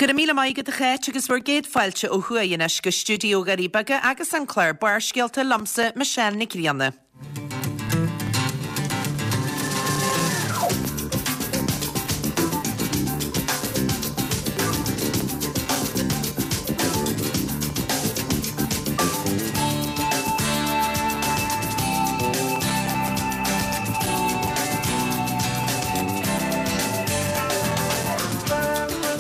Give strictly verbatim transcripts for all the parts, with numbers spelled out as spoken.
Go raibh míle maith agat a Cháit agus bhur gcéad fáilte ó thuaidh anois go stiúideo Dhoirí Beaga agus an clár Barrscéalta liomsa Michelle Nic Grianna.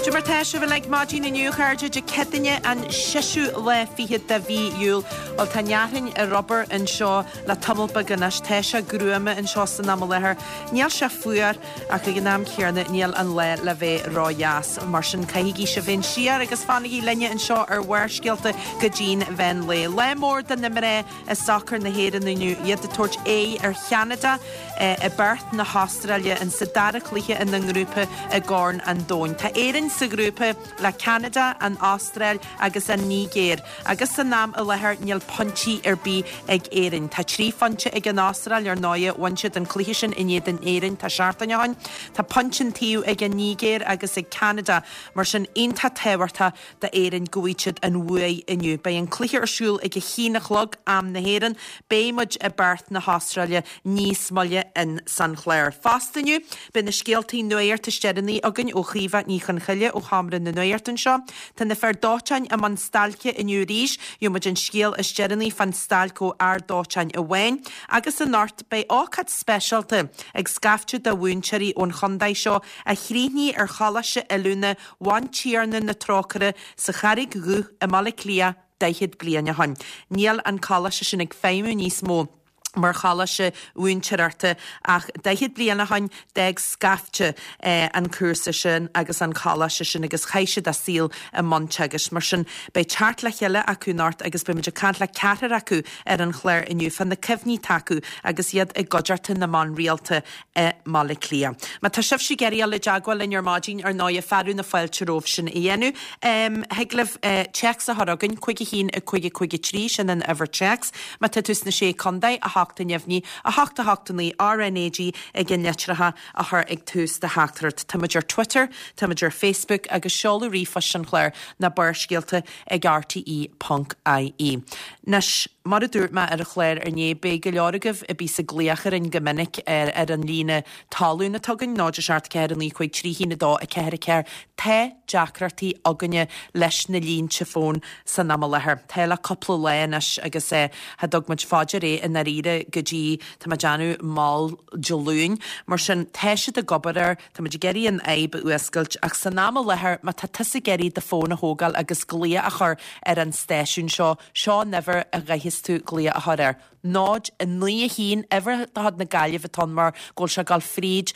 Cad é mar tá sibh uilig maidin inniu a chairde Dé Céadaoine an seisiú lá fichead de mhí Iúil. Bhuel tá an fhearthainn ar obair anseo le tamall beag anois. Tá sé gruama anseo san am i láthair. Níl sé fuar ach ag an am céanna níl an lá le bheith ródheas. Mar sin caithigí sibh féin siar agus fanaigí linne anseo ar Bharrscéalta go dtí'n mheán lae. Lá mór do na mná i sacar na hÉireann inniu, iad ag tabhairt aghaidh ar Cheanada i bPerth na hAstráile in sa dara cluiche ina ngrúpa i gCorn an Domhain. Tá Éirinn sa ghrúpa le Ceanada, an Astráil agus an Nigéir agus san am i láthair níl pointí ar bith ag Éirinn. Tá trí phointe ag an Astráil ar ndóigh, bhain siad an cluiche sin in éadan Éirinn tá seachtain ó shin. Tá pointe an taobh ag an Nigéir agus ag Ceanada, mar sin iontach tábhachtach d'Éirinn go bhfaighidh siad an bhuaidh inniu. Beidh an cluiche ar siúl ag a haon a chlog, am na hÉireann. Beidh muid i bPerth na hAstráile níos moille in san chlár. Fosta inniu, beidh na scéaltaí nuaíocht is deireanaí againn ó Chaoimhe Ní Chonchoille ó Sheomra na Nuaíocht anseo. Tá na fir dóiteáin i mbun stailce inniu arís. Gheobhaidh muid an scéal is deireanaí fán stailc ó fhear dóiteáin amháin. Agus anocht, beidh ócáid speisialta ag scaifte de mhúinteoirí ón chontae seo a chríochnaigh ar Choláiste Oiliúna Bhantiarna na Trócaire sa Charraig Dhubh i mBaile Átha Cliath daichead bliain ó shin. Níl an coláiste sin ag feidhmiú níos mó mar choláiste mhúinteoireachta ach daichead bliain ó shin d'fhág scaifte an cúrsa sin agus an coláiste sin agus chaith siad a saol i mbun teagaisc. Mar sin beidh teacht le chéile acu anocht agus beidh muid ag caint le ceathrar acu ar an chlár inniu fá na cuimhní atá acu agus iad i gcuideachta na mban rialta i mBaile Átha Cliath. Má tá sibhse ag iarraidh dul i dteagmháil linn ar maidin, ar ndóighe, fearadh na fáilte romhaibh sin a dhéanamh. Thig libh téacs a chur chugainn, cúig a haon a cúig a cúig a trí, sin an uimhir téacs. Má tá tú sna Sé Contae, a hocht a neamhní, a hocht a hocht a naoi, RNAG ag an litreacha a chur ag tús do theachtaireacht. Tá muid ar Twitter, tá muid ar Facebook agus seoladh ríomhphoist an chláir ná Barrscéalta ag rte ponc ie. Anois, mar a dúirt mé ar an chlár inné, beidh go leor agaibh a bíos ag glaoch orainn go minic ar ar an líne talún atá againn, náid a seacht ceathair a naoi cúig trí haon a dó a ceathair a ceathair. Tá deacrachtaí againne leis na línte fóin san am i láthair. Tá le cúpla lá anois agus eh, cha dtug muid fá dear é i ndáiríre go dtí, tá mé ag déanamh, mall Dé Luain. Mar sin, tá siad ag obair air, tá muid ag iarraidh an fhadhb a fhuascailt ach san am i láthair má tá tusa ag iarraidh do fón a thógáil agus glaoch a chur ar an stáisiún seo, seo an uimhir a gcaithfeas tú glaoch a chur air. náid, a naoi, a haon, uimhir de chuid na Gaillimhe atá ann mar go bhfuil sé ag dul fríd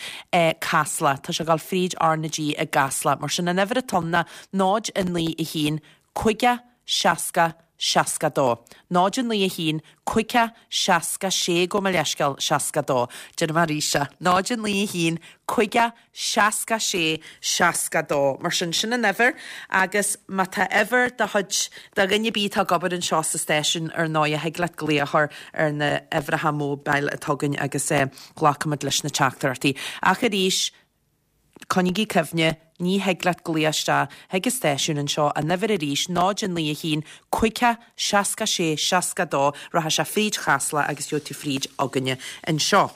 Casla, tá sé ag dul fríd R na G i gCasla. Mar sin an uimhir atá ann ná náid, a naoi, a haon, caoga, seasca, seasca dó. Náid, a naoi, a haon, caoga, seasca sé, gabh mo leithscéal, seasca dó. Déanfaidh mé arís é. Náid, a naoi, a haon, caoga, seasca sé, seasca dó. Mar sin, sin an uimhir agus má tá uimhir de chuid de dhuine ar bith atá ag obair anseo sa stáisiún ar ndóigh thig leat glaoch a chur ar na huimhreacha mobile atá againn agus glacfaimid leis na teachtaireachtaí. Ach arís, coinnigí cuimhne, ní thig leat glaoch isteach chuig an stáisiún anseo, an uimhir arís, náid a naoi a haon, caoga, seasca sé, seasca dó, rachaidh sé fríd Chasla agus gheobhaidh tú fríd againne anseo.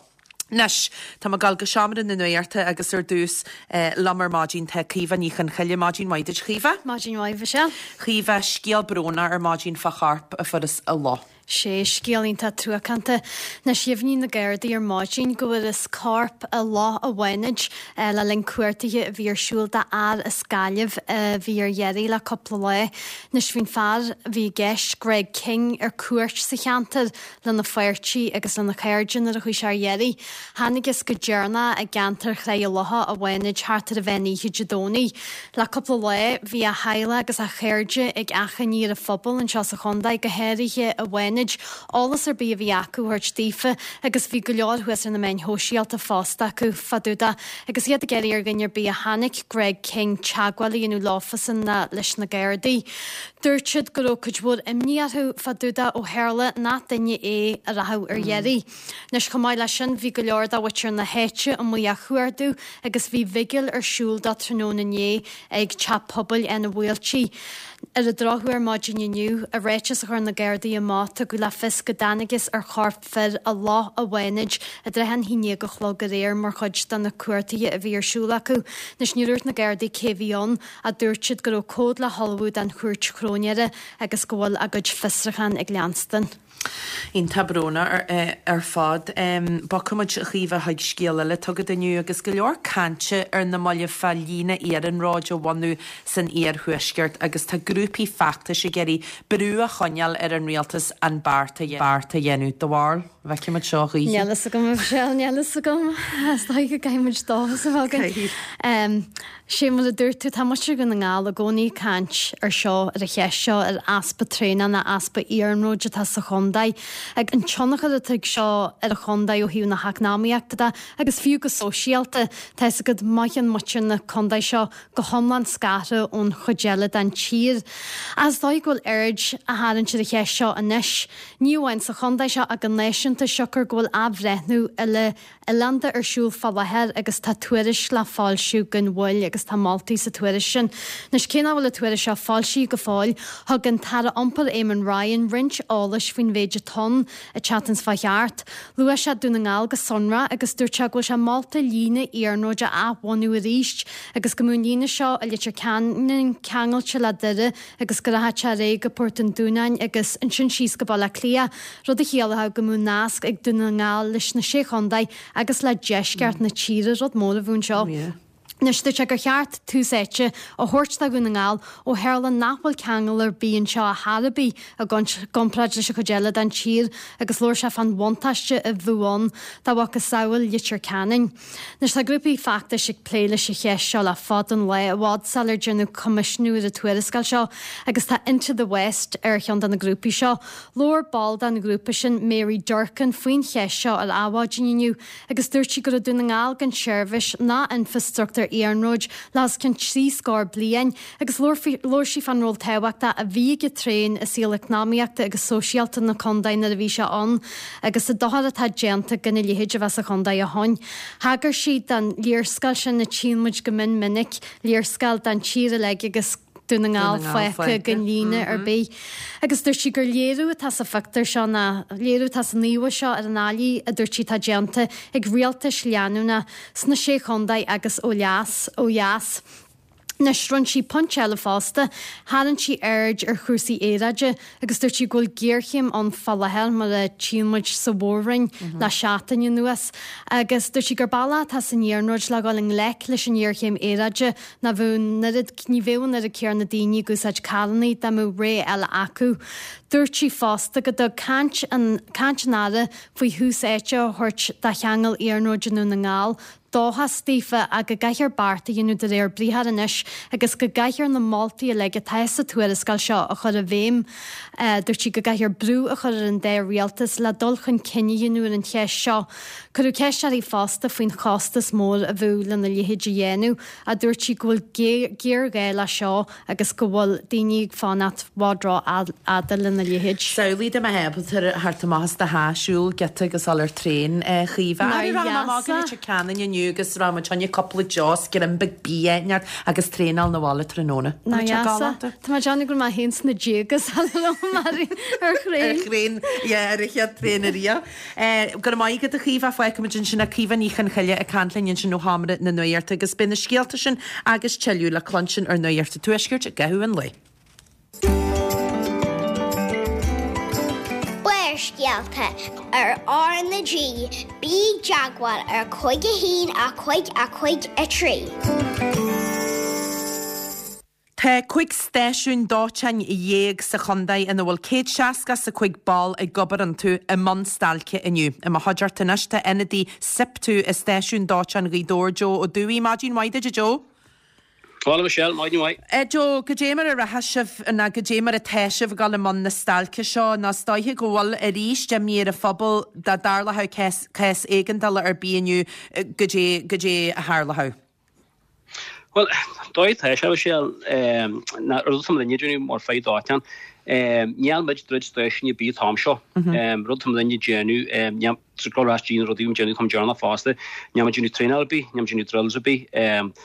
Anois, tá mé ag dul go seomra na nuachta agus ar dtús liom ar maidin tá Caoimhe Ní Chonchoille. Maidin mhaith duit, Chaoimhe. Maidin mhaith, Michelle. Chaoimhe, scéal brónach ar maidin fá chorp a fuarthas i loch. Sé scéal iontach truacánta. Anois dheimhnigh na Gardaí ar maidin go bhfuarthas corp i Loch an Bhánaid le linn cuardaithe a bhí ar siúl d'fhear as Gaillimh a bhí ar iarraidh le cúpla lá. Anois bhí an fear a bhí i gceist, Greg King, ar cuairt sa cheantar lena pháirtí agus lena chairde nuair a chuaigh sé ar iarraidh. Thángthas go deireanach i gceantar Chraí an Locha an Bhánaid thart ar an mheán oíche Dé Domhnaigh. Le cúpla lá bhí a theaghlach agus a chairde ag achainí ar an phobal anseo sa chontae, go háirithe i bhFánaid, Fhánaid eolas ar bith a bhí acu a thabhairt daofa agus bhí go leor thuas ar na meáin shóisialta fosta acu fá dtaobh de agus iad ag iarraidh ar dhuine ar bith a chonaic Greg King teagmháil a dhéanamh leofasan ná leis na Gardaí. Dúirt siad go raibh cuid mhór imní orthu fá dtaobh de ó tharla nach duine é a rachadh ar iarraidh. Anois chomh maith leis sin bhí go leor de mhuintir na háite amuigh á chuardú agus bhí bigil ar siúl dó tráthnóna inné ag teach pobail Áth na bhFaoiltí. Ar an drochuair maidin inniu i ráiteas a chuir na Gardaí amach tugadh le fios go dtángthas ar chorp fir i Loch a' Bhánaid i dtrátha an haon déag a chlog aréir mar chuid de na cuartuithe a bhí ar siúl acu. Anois níor dhúirt na Gardaí cé bhí ann ach dúirt siad go raibh comhad le hullmhú don chúirt chróinéara agus go bhfuil a gcuid fiosrúchán ag leanstan. Iontach brónach ar, ar fad. Bogfaidh muid a Chaoimhe chuig scéal eile atá agat inniu agus go leor cainte ar na mallaibh fá líne iarnróid a bhunú san iarthuaisceart agus tá grúpaí feachtais ag iarraidh brú a choinneáil ar an rialtas an beart a beart a dhéanamh. Do bharúil, an bhfeicfidh muid seo choíche. Níl fhios agam, a Mhichelle, níl fhios agam. Is dóigh go gcaithfidh muid dóchas a bheith againn. Sé mar a dúirt tú, tá muintir Dhún na nGall i gcónaí ag caint ar seo, ar an cheist seo, ar easpa traenach ná easpa iarnróid atá sa chontae. Ag an tionchar atá ag seo ar an chontae ó thaobh na heacnamaíochta de agus fiú go sóisialta, tá fhios agat mothaíonn muintir na contae seo go hiomlán scartha ón chuid eile den tír. Ach is dóigh go bhfuil aird á tharraingt ar an cheist seo anois, ní amháin sa chontae seo ach go náisiúnta siocair go bhfuil athbhreithniú uile oileánda ar siúl fá láthair agus tá tuairisc le foilsiú gan mhoill agus tá moltaí sa tuairisc sin. Anois cé nach bhfuil an tuairisc seo foilsithe go fóill, thug an tAire Iompair Eamon Ryan roinnt eolais faoin mhéid atá ann an tseachtain seo chuaigh thart. Luaigh sé Dún na nGall go sonrach agus dúirt sé go bhfuil sé molta líne iarnróid a athbhunú arís agus go mbeadh an líne seo i Leitir Ceanainn ceangailte le Doire agus go rachadh sé ar aghaidh go Port an Dúnáin agus ansin síos go Baile Átha Cliath, rud a chiallódh go mbeadh nasc ag Dún na nGall leis na Sé Chontae agus le deisceart na tíre, rud mór a bheadh anseo. Anois dúirt sé gur cheart tús áite a thabhairt do Dhún na nGall ó tharla nach bhfuil ceangal ar bith anseo ar chor ar bith i gcomparáid leis an chuid eile den tír agus labhair sé fán bhuntáiste a bheadh ann dá mhacasamhail Leitir Ceanainn. Anois tá grúpaí feachtais ag plé leis an cheist seo le fada an lá, i bhfad sular déanadh coimisiúnú ar an tuarascáil seo agus tá Into the West ar cheann de na grúpaí seo. Labhair ball den ghrúpa sin, Mary Durkan, faoin cheist seo ar Adhmhaidin inniu agus dúirt sí go raibh Dún na nGall gan seirbhís ná infreastruchtúr iarnróid le os cionn trí scór bliain agus labhair sí fán ról tábhachtach a bhí ag an traein i saol eacnamaíochta agus sóisialta na contae nuair a bhí sé ann agus an dochar atá déanta gan a leithéid a bheith sa chontae ó shin. Thagair sí don léarscáil sin a tchíonn muid go mion minic, léarscáil den tír uilig agus Dún na nGall fágtha gan líne ar bith. Agus dúirt sí gur léiriú atá sa phictiúr seo ná léiriú atá san íomhá seo ar an fhaillí a dúirt sí atá déanta ag rialtais leanúna sna Sé Chontae agus ó dheas ó dheas. Anois rinne sí pointe eile fosta, tharraing sí aird ar chúrsaí aeráide agus dúirt sí go bhfuil géarchéim ann fá láthair mar a tchíonn muid sa mhór-roinn le seachtain anuas agus dúirt sí gur bealach atá san iarnróid le dhul i ngleic leis an ngéarchéim aeráide ná bheadh an oiread ní bheadh an oiread céanna daoine ag úsáid carranna dá mbeadh rogha eile acu. Dúirt sí fosta go dtug caint an caint an Aire faoi thús áite a thabhairt do cheangal iarnróid i nDún na nGall dóchas daofa ach go gcaithfear beart a dhéanamh de réir briathair anois agus go gcaithfear na moltaí uilig atá sa tuarascáil seo a chur i bhfeidhm. Dúirt sí go gcaithfear brú a chur ar an dá rialtas le dul chun cinn a dhéanamh ar an cheist seo. Cuireadh ceist uirthi fosta faoin chostas mór a bheadh lena leithéid a dhéanamh ach dúirt sí go bhfuil géarghá le seo agus go bhfuil daoine ag fanacht i bhfad rófhada lena leithéid. Samhlaigh dá mbeifeá ábalta theacht amach as do theach, siúl giota agus dul ar traein, a Chaoimhe. Nár Rachaidh mé amach go dheasa. Leitir Ceanainn inniu agus rachaidh muid cheana cúpla deos, greim beag bia neart agus traenáil na bhaile tráthnóna. Nár Tá sé dheasa. galánta. Tá mé ag déanamh go raibh mé féin sna déaga sula raibh mé ar Ar thraein. thraein, yeah, ar an chéad traein ariamh. Eh, Go raibh maith agat a Chaoimhe, fágfaimid ansin é Caoimhe Ní Chonchoille ag caint linn ansin ó Sheomra na Nuachta agus beidh na scéalta sin agus tuilleadh le cluinstin ar Nuacht an Tuaiscirt i gcaitheamh an lae. Barrscéalta ar R na G, bí i dteagmháil ar cúig a haon a cúig a cúig a trí. Tá cúig stáisiún dóiteáin dhéag sa chontae ina bhfuil céad seasca is a cúig ball ag obair iontu i mbun stailce inniu. I mo chuideachta anois tá ionadaí SIPTU i stáisiún dóiteáin Ghaoth Dobhair Joe Ó Dúill. Maidin mhaith duit a Joe. Hola Michelle, maidin mhaith. Joe, goidé mar a rachaidh sibh ná goidé mar atá sibh ag dul i mbun na stailce seo, nó is dóiche go bhfuil arís imní ar an phobal dá dtarlódh cás, cás éigeandála ar bith inniu, goidé, goidé a tharlódh. Well, dóigh tá sé Michelle, ná rud atá muidinne ag déanamh mar fear dóiteáin, níl muid druid stáisiún ar bith an t-am seo. Rud atá muidinne ag déanamh, níl, ag dul ar ais dtí na rudaí a déanamh chomh deireanach fosta, níl muid ag déanamh traenáil ar bith, níl muid ag déanamh drills ar bith.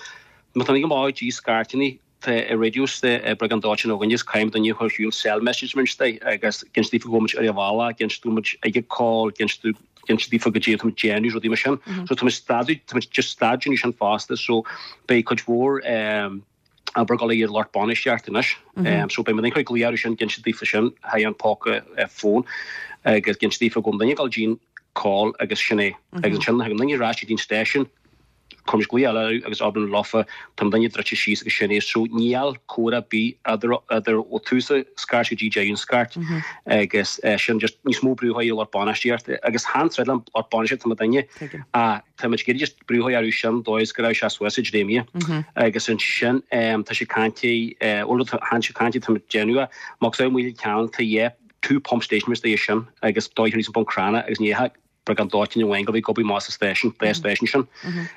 Má tá ag amach dtí scairteanna tá i radios de bhreag an dóiteáin againn is caithfidh duine a chur ar siúl cell message mar sin agus ag inse daofa go bhfuil muid ar an bhealach, ag inse go bhfuil muid ag an call, ag inse ag inse daofa goidé atá muid ag déanamh, rudaí mar sin. So tá muid stad, tá muid just stad déanamh sin fosta so beidh cuid mhór obair ag dul ar lucht bainistíochta anois. So beidh muid ag cur glaoch orthu sin, ag inse daofa sin, thar an póca fón agus ag inse daofa go bhfuil duine ag dul dtí'n call agus sin é. Agus ansin thagann duine ar ais go dtí'n stáisiún, Cuirimid glaoch eile orthu agus abraim leofa, tá an duine druidte síos agus sin é. So níl comhrá ar bith idir idir ó tús an scairt go dtí deireadh an scairt agus sin just níos mó brú ar lucht bainistíochta agus chan troid le lucht bainistíochta tá muidinne ach tá muid ag iarraidh just brú orthu sin dóigh is go raibh sé suas ag dréimire agus ansin tá sé cainte bhuel chan sé cainte tá muid ag déanamh é má tá muid ceann tá yeah two pump stations é sin agus dóigh níos bun crana agus ní breagán dóiteáin amháin go bhí gobaí maith sa stáisiún, dá stáisiún sin.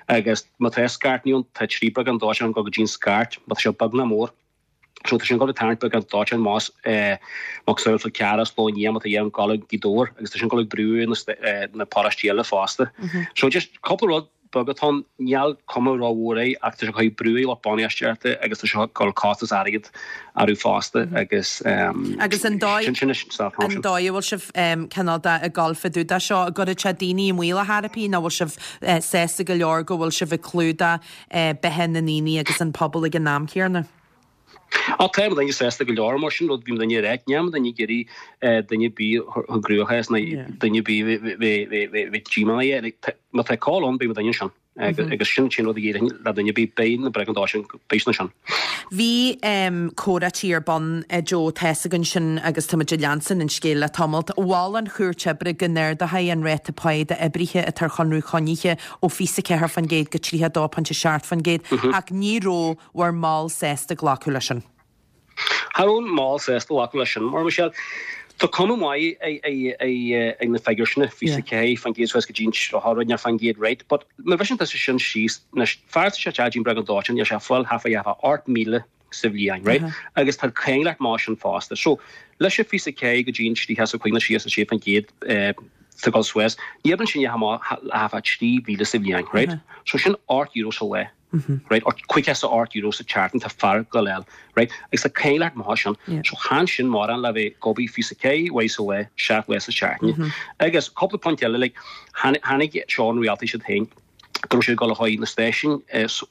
Agus má tá scairt ann, tá trí breagán dóiteáin go go dtí'n scairt, má tá sé beag ná mór. So tá sin ag dul ag tarraingt breagán dóiteáin más macasamhail Fál Carrach, Slo Nia, má tá dhéanamh dul ag Gaoth Dobhair agus tá sin ag dul ag brú na na paróistí eile fosta. So just cúpla rud beag atá ann, níl cuma rómhór air ach tá sé ag cur brú ar lucht bainistíochta agus tá sé ag dul costas airgead orthu fosta agus Agus an dóigh sin sin an dóigh a bhfuil sibh cineál de ag dul fá dtaobh de seo, an gcuirfidh sé daoine i mbaol ar chor ar bith nó bhfuil sibh sásta go leor go bhfuil sibh ag clúdach beatha na ndaoine agus an pobal ag an am céanna? Á tá muidinne sásta go leor mar sin rud bhí muidinne ag ráit, níl muidinne ag iarraidh duine ar bith a chur i gcruachás ná duine ar bith bheith díomách. Má tá call ann beidh muidinne ansin agus sin sin rud a dhéarfainn le duine ar bith, beidh na briogáidí sin, beidh siad ansin. Bhí comhráití ar bun, Joe, tá's againn sin agus tá muid ag leanstan an scéal le tamalt. Mhol an Chúirt Oibre go n-ardófaí an ráta páí d'oibrithe atá ar chonradh coinnithe ó fiche ceathair faoin gcéad go tríocha dó pointe seacht faoin gcéad ach ní raibh bhur mball sásta glacadh leis sin. Cha raibh an mball sásta glacadh leis sin, mar Michelle, tá cuma mhaith ag na figiúir sin, fiche ceathair faoin gcéad suas go dtí an tríocha rud faoin gcéad right, but má bhriseann tusa sin síos, anois, fear atá sé dtí an bhreag an dóiteáin, níl sé ag fáil half a half ocht míle sa bhliain, right? Agus tá cáin leat mar sin fosta. So, leis an fiche ceathair go dtí an tríocha is a cúig nó tríocha a sé faoin gcéad tá dul suas, ní oibreann sin amach half a trí mhíle sa bhliain, right? So sin ocht euro sa lá. Right? Or caoga is a ocht euro sa tseachtain tá fear go leil, right? Agus tá cáin leat mar sin. So chan sin mórán le bheith ag obair fiche ceathair uair sa lá, seacht lá sa tseachtain. Agus cúpla pointe eile, like, tháinig seo an rialtais iad féin, go raibh siad ag dul a chur na stáisiúin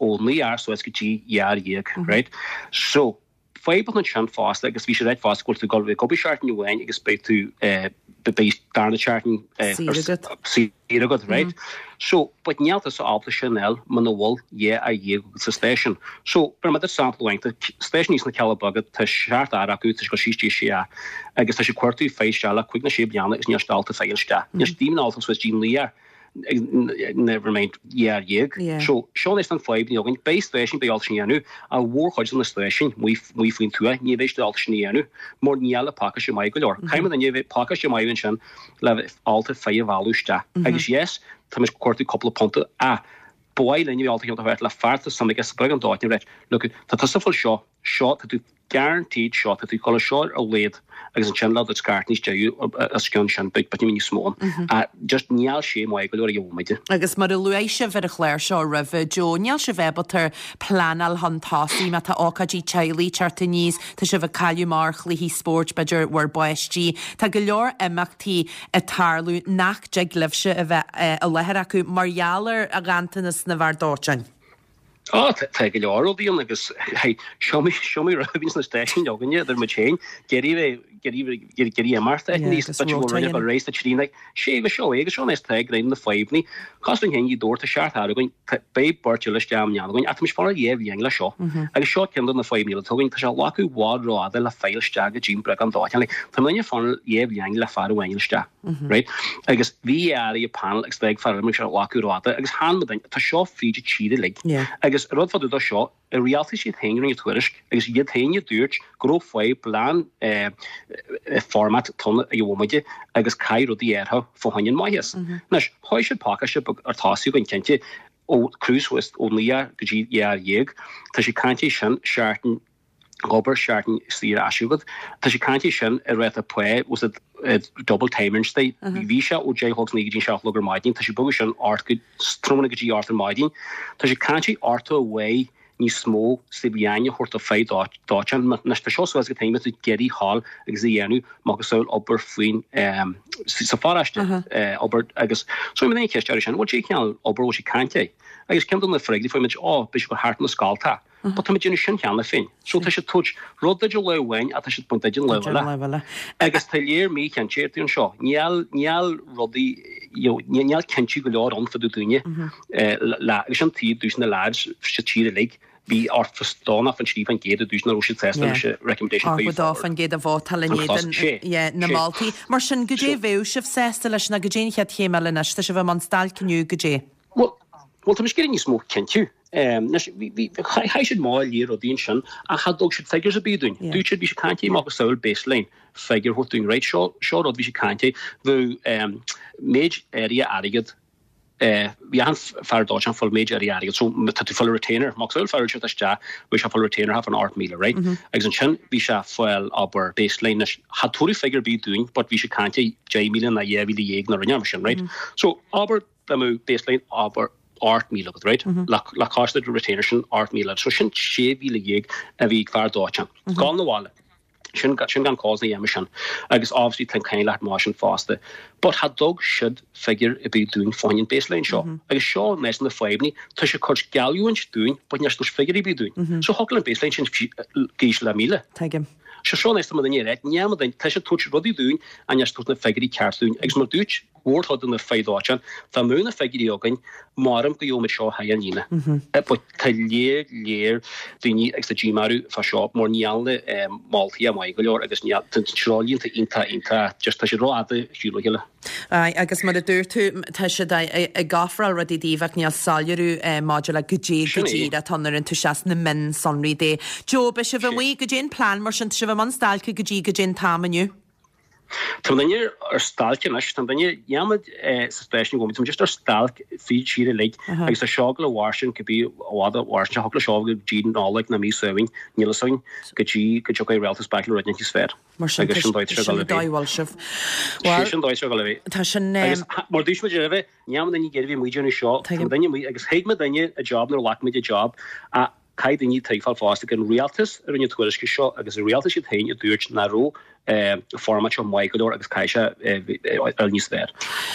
ó naoi fhear suas go dtí dhá fhear dhéag, right? So, fadhb ansin fosta agus bhí sé ráite fosta go bhfuil tú ag dul ag obair seachtain amháin agus beidh tú beidh darna seachtain saor agat, right? So, but níl tusa ábalta sin a fháil muna bhfuil dhá fhear dhéag agat sa stáisiún. So, b'fhéidir maidir sampla amháin, tá stáisiún thíos sna Cealla Beaga, tá seacht fhear acu, tá sé ag dul síos dtí sé fhear agus tá sé ag cuartú fir isteach le cúig nó sé bliana agus níl siad ábalta fir isteach. Níl siad even ábalta suas dtí naoi fhear. Never mind dhá fhear dhéag. So, seo anois an fadhb ní againn. Beidh stáisiún, beidh ábalta sin a dhéanamh. An mhórchuid de na stáisiúin amuigh amuigh faoin tuath, ní bheidh siad ábalta sin a dhéanamh mar níl an pacáiste maith go leor. Caithfidh muid a bheith pacáiste maith ansin le bheith ábalta fir a mhealladh isteach. Agus yes, tá muid ag cuartú cúpla punta ach ba mhaith linn a bheith ábalta ceann a thabhairt le fear atá suim aige sa bhreag an dóiteáin right, look, tá tusa ag fáil seo, seo, tá tú guaranteed seo, tá tú ag dul seo ar a laghad agus ansin le do scairt níos deireadh os cionn sin, beidh beidh níos mó ann. Just níl sé maith go leor ag an bhomaite. Agus mar a luaigh sibh ar an chlár seo roimhe, Joe, níl sibh ábalta pleanáil chun tosaigh má tá ócáidí teaghlaigh ag teacht aníos, tá sibh ag cailleadh amach ar chluichí spóirt, b'fhéidir bhur bpáistí. Tá go leor imeachtaí ag tarlú nach dtig libhse a bheith i láthair acu mar gheall ar ghanntanas na bhfear dóiteáin. Á, tá go leor rudaí ann agus seo mé rud a bhíonn sna stáisiúin againne idir muid féin, d'iarraidh bheith, d'iarraidh imeacht a níos b'fhéidir go bhfuil roinnt réidh sa trí like, sé agus seo é agus seo an tá ag roinnt na fadhbanna. Cás dúinn féin Ghaoth Dobhair, tá seacht bhfear againn, beidh beirt eile isteach i mbliana againn ach tá muid fanacht dhá bhliain le seo. Agus seo ceann de na fadhbanna eile atá againn, tá sé ag glacadh i bhfad rófhada le fáil isteach go dtí an bhreagán dóiteáin. Like, tá muidne ag fanacht dhá bhliain le fear amháin isteach. Right? Agus bhí fear ar an panel agus beidh fear eile, sé ag glacadh rófhada agus chan muid, tá seo fríd an tír uilig. Agus Agus rud fá dtaobh de seo, an rialtas iad féin a rinne tuairisc agus iad féin a dúirt go raibh fadhb leis an format atá ag an bhomaite agus caithfidh rudaí athrú fá choinne an maitheas. Anois, chuaigh siad pacáiste beag ar tosaí againn cinnte ó cruise suas ó naoi uair go dtí dhá uair dhéag. Tá sé cainte sin seachtain obair seachtain saor ais agat. Tá sé cainte sin i ráta pá was it double time instead. Bhí sé ó deich a chlog go dtí seacht a chlog ar maidin, tá sé bogadh sin ocht go tráthnóna go dtí ocht ar maidin. Tá sé cainte orthu away níos mó sa bhliain a thabhairt do fear dóiteáin. Anois tá seo suas go taobh tú ag iarraidh a ghabháil agus a dhéanamh macasamhail obair faoin sa pharáiste obair agus so mé aon cheist air sin, bhfuil sé cineál obair bhfuil sé cainte agus ceann de na freagraí fuair muid ó beidh sé go thart na scálta. But tá muid déanamh sin cheana féin. So tá sé tabhairt rud duit lá amháin ach tá siad baint duit an lá eile. Agus tá léir míchinnteacht anseo. Níl níl rudaí you know, níl cinntiú go leor ann fá dtaobh daoine le agus sin taobh dús na lads sa tír uilig bhí ort fostánach an trí faoin gcéad a dúirt nach raibh siad sásta leis an recommendation Ach dá faoin gcéad a vótáil in éadan na moltaí. Mar sin goidé a bheadh sibh sásta leis ná goidé an chéad chéim eile anois, tá sibh i mbun stailc inniu goidé. Bhuel, bhuel tá muid ag iarraidh níos mó cinntiú. Anois bhí chaith siad mall léir rudaí ansin ach cha dtug siad figures ar bith dúinn. Dúirt siad bhí siad cainte macasamhail baseline figure a thabhairt dúinn right seo seo rud bhí siad cainte bheadh méid áirithe airgead bhí achan fear dóiteáin ag fáil méid áirithe airgead so tá tú fáil retainer macasamhail fear siad isteach bhí sé fáil retainer half an ocht míle right agus ansin bhí sé fáil abair baseline anois cha tabhairt figure ar bith dúinn but bhí siad cainte deich míle ná dhá mhíle dhéag ná rinne mar sin right so abair dá mbeadh baseline abair ocht míle agat right le le costas do retainer sin ocht míle so sin sé mhíle dhéag a bhí ag fear dóiteáin gabháil na bhaile sin sin gan cause na dhéanamh sin agus obviously tá an leat mar sin fosta but cha dtug siad figure ar bith dúinn fán baseline seo agus seo meas na fadhbanna tá sé ag cur geallúint dúinn but níor thug figure ar bith dúinn so thig an baseline sin gíis le míle Tuigim. Se seo neist ma duine reit ní duine tá sé tabhairt rudaí dúinn a níor tabhairt na figiúirí ceart dúinn agus mar dúirt mhórchuid de na fir dóiteáin tá mú na figiúirí againn maram go gheobhaimid seo thar an líne. But tá léir léir daoine agus tá díomá fá seo mar níl na moltaí maith go leor agus níl tá treoirlínte iontach iontach just tá siad rófhada siúl a chéile. Aye, agus mar a dúirt tú tá siad ag ofráil rudaí daoibh ach níl soiléiriú maidir le goidé Sin go é. díreach atá ar an tú seas na mionsonraí de. Joe, beidh sibh amuigh goidé an plean mar sin tá sibh i mbun stailce go dtí goidé an t-am inniu. Tá duine ar stailc anois tá duine dhéanamh sa stáisiún go tá just ar stailc fríd tír uilig agus tá seo le mhair go bí bhada mhair thug le seo go dtí Nollaig na mí Samhain níl a fhios go dtí go dtiocfaidh rialtas back le rud níos fearr. Mar sin Agus sin dóigh sin go le bhí. dóigh sibh. Sé sin dóigh go le bhí. Tá sin Agus mar dúirt muid roimhe ní duine géirbhí muid seo Tuigim. duine muid agus thuig muid duine a job nuair ghlac muid a job a caithfidh daoine tuigbheáil fosta go an rialtas a rinne tuairisce seo agus an rialtas iad féin a dúirt nach raibh format seo maith go leor agus caithfidh sé ar níos fearr.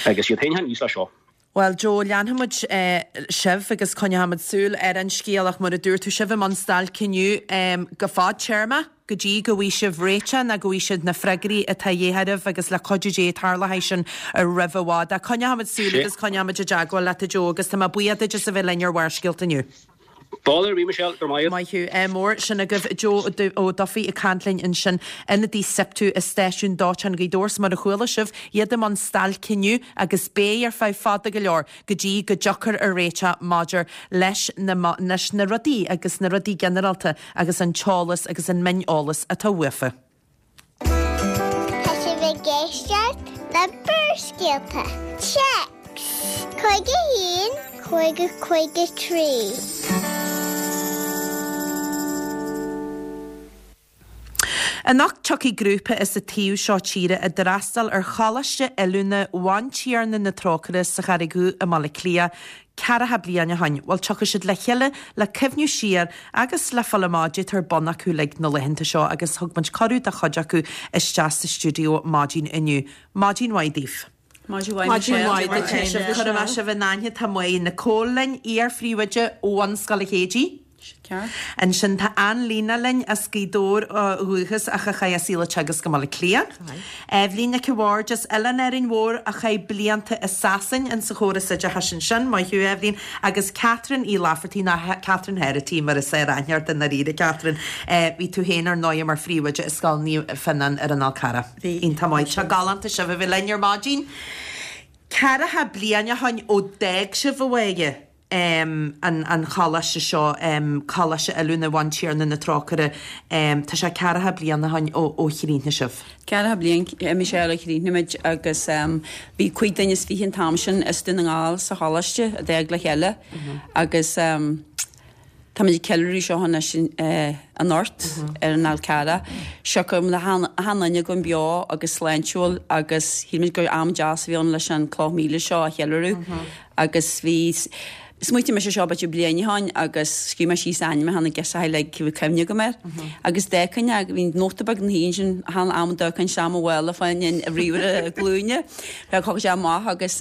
Agus iad féin níos le seo. Well Joe leanfaimid eh, sibh agus coinneoimid súil ar an scéal ach mar a dúirt tú sibh i mbun stailc inniu um, go fadtéarma go dtí go bhfaighidh sibh réiteach ná go bhfaighidh sibh na freagraí atá de dhíth oraibh agus le cuidiú Dé tarlóidh sin roimh i bhfad. Coinneoimid súil Sé. agus coinneoimid i dteagmháil leat Joe agus tá mé buíoch duit as a bheith linn ar Bharrscéalta inniu. Báir bhí Michelle gur maith. Maith thú eh, mór sin agaibh Joe Ó Dufaigh ag caint linn ansin ionadaí SIPTU i stáisiún dóiteáin Ghaoth Dobhair mar a chuala sibh iad i mbun stailc inniu agus beidh ar feadh fada go leor go dtí go dtiocfar ar réiteach maidir leis na, leis na rudaí agus na rudaí ginearálta agus an t-eolas agus an mioneolas atá uafa. Tá sibh ag éisteacht le Barrscéalta. Téacs Cúig a haon, cúig a cúig a trí. Anocht tiocfaidh grúpa as an taobh seo tíre a d'fhreastail ar Choláiste Oiliúna Bhantiarna na Trócaire sa Charraig Dhubh i mBaile Átha Cliath, ceathracha bliain ó shin, bhuel tiocfaidh siad le chéile le cuimhniú siar agus le fáil amach goidé atá ar bun acu le na laethanta seo agus thug muid cuireadh do chuid acu isteach sa stiúideo maidin inniu. Maidin mhaith daoibh. Maidin mhaith Chuir sibh in aithne tá Máire Nicole linn, iar-phríomhoide ó Bhunscoil Chéidí. Ansin tá Ann-Lena linn as Gaoth Dobhair ó dhúchas ach a chaith a saol ag teagasc i mBaile Átha Cliath. Eibhlín Nic a' Bhaird as Oileán Árainn Mhór a chaith blianta i Sasain in sa chóras oideachais ansin, maith thú Eibhlín, agus Catherine Uí Laifeartaigh ná Catherine Herity mar is fearr aithne ort i ndáiríre Catherine. Bhí tú féin ar ndóigh mar phríomhoide i Scoil Naomh Fionnán ar an Fhál Carrach. Iontach maith. Tá galánta sibh a bheith linn ar maidin. Ceathracha bliain ó shin ó d'fhág sibh abhaile. um, an, an choláiste seo um, Coláiste Oiliúna Bhantiarna na Trócaire um, tá sé ceathracha bliain ó shin ó, ó chríochnaigh sibh. Ceathracha bliain Michelle ó chríochnaigh muid agus um, bhí cúig duine is fiche an t-am sin as Dún na nGall sa choláiste a d'fhág le chéile agus um, Tá muid ag ceiliúradh seo anois anocht ar an Fhál Carrach. Siocair le achan duine againn beo agus sláintiúil agus shíl muid gur am deas a bhí ann leis an cloch míle seo a cheiliúradh agus bhí Smaointigh mise seo b'fhéidir bliain ó shin agus scríobh mé síos ainmneacha na girseachaí uilig a bhí cuimhne agam air. Agus d'fhéachainn agus bhí nóta beag ina thaobh ansin achan am a d'amharcainn isteach mo mhála fá choinne ríomhaire glúine. Bheadh thug sé amach agus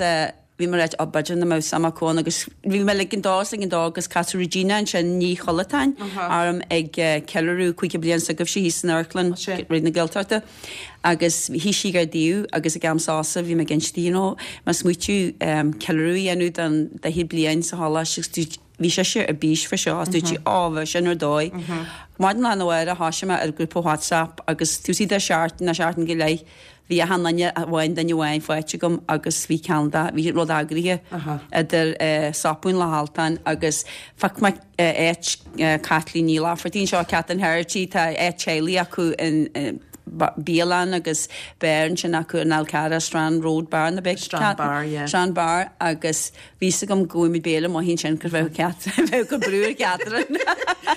bhí mé ag rá b'fhéidir nach mbeadh suim acu ann agus bhí mé ag an dó ag an dó agus casadh Regina ansin Ní Chollatáin orm ag ceiliúradh caoga bliain s'agaibhse thíos san amharclann Raidió na Gaeltachta agus shuigh sí gar domh agus ag am sosa bhí mé ag inse di you know mé ag smaoitiú ceiliúradh a dhéanamh don daichead bliain sa choláiste agus dúirt bhí sise ar bís fá seo agus dúirt sí á bheadh sin ar dóigh. Maidin lá arna mhárach thosaigh mé ar ghrúpa WhatsApp agus tús de seachtain nó seachtain go leith Bhí achan duine amháin duine amháin faighte agam agus bhí ceann de, bhí rud eagraithe idir Sopún le hAltan agus phioc mé áit Caitlín Ní Laifeartaigh anseo, Catherine Herity, tá áit teaghlaigh acu in bialann agus beár ansin acu in Fhál Carrach, Strand Road Bar na beic Strand Bar, yeah. Strand Bar agus bhí fhios agam go bhfuil muid béile maith ansin gur bheadh Cat bheadh go brú ar Catherine.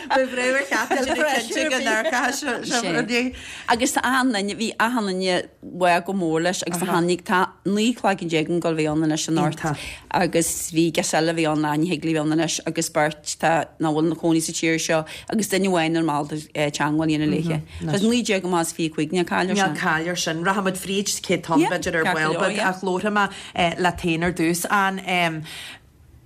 Bheadh brú ar Catherine cinnte go n-amharcfadh Agus tá achan duine, bhí achan duine bhfáth go mór leis agus tá tháinig tá naoi cloigeann déag ag gabháil a bheith ann anois anocht agus bhí girseach eile a bhí ann ní thig léi bheith ann anois agus beirt tá nach bhfuil ina cónaí sa tír seo agus duine amháin ar mall teagmháil a dhéanamh léithe. Tá naoi déag amach is fiche cúig níl caill air sin. Níl caill air sin. Rachaimid fríd céad tonn b'fhéidir ar ball beag ach labharfaidh mé leat féin ar dtús. An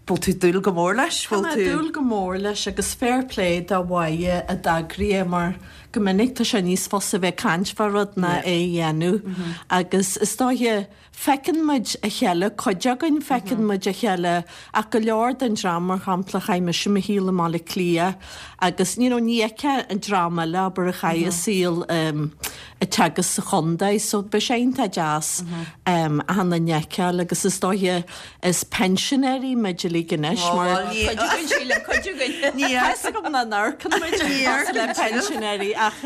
bhfuil tú ag dúil go mór leis? Tá mé ag dúil go mór leis agus fair play do Mháire a d'eagraigh é mar go minic tá sé níos fusa a bheith ag caint fá rud ná é a dhéanamh agus is dóiche feiceann muid a chéile, cuid againn feiceann muid a chéile ach go leor den dream mar shampla chaith mise mo shaol i mBaile Átha Cliath agus you know ní fheicfeá an dream eile abair a chaith a saol ag teagasc sa chontae so beidh sé iontach deas achan duine a fheiceáil agus is dóiche is pensionairí muid uilig anois mar Cuid againn sílim, cuid againn. Tá fhios agam nach n-amharcann muid le pensionairí ach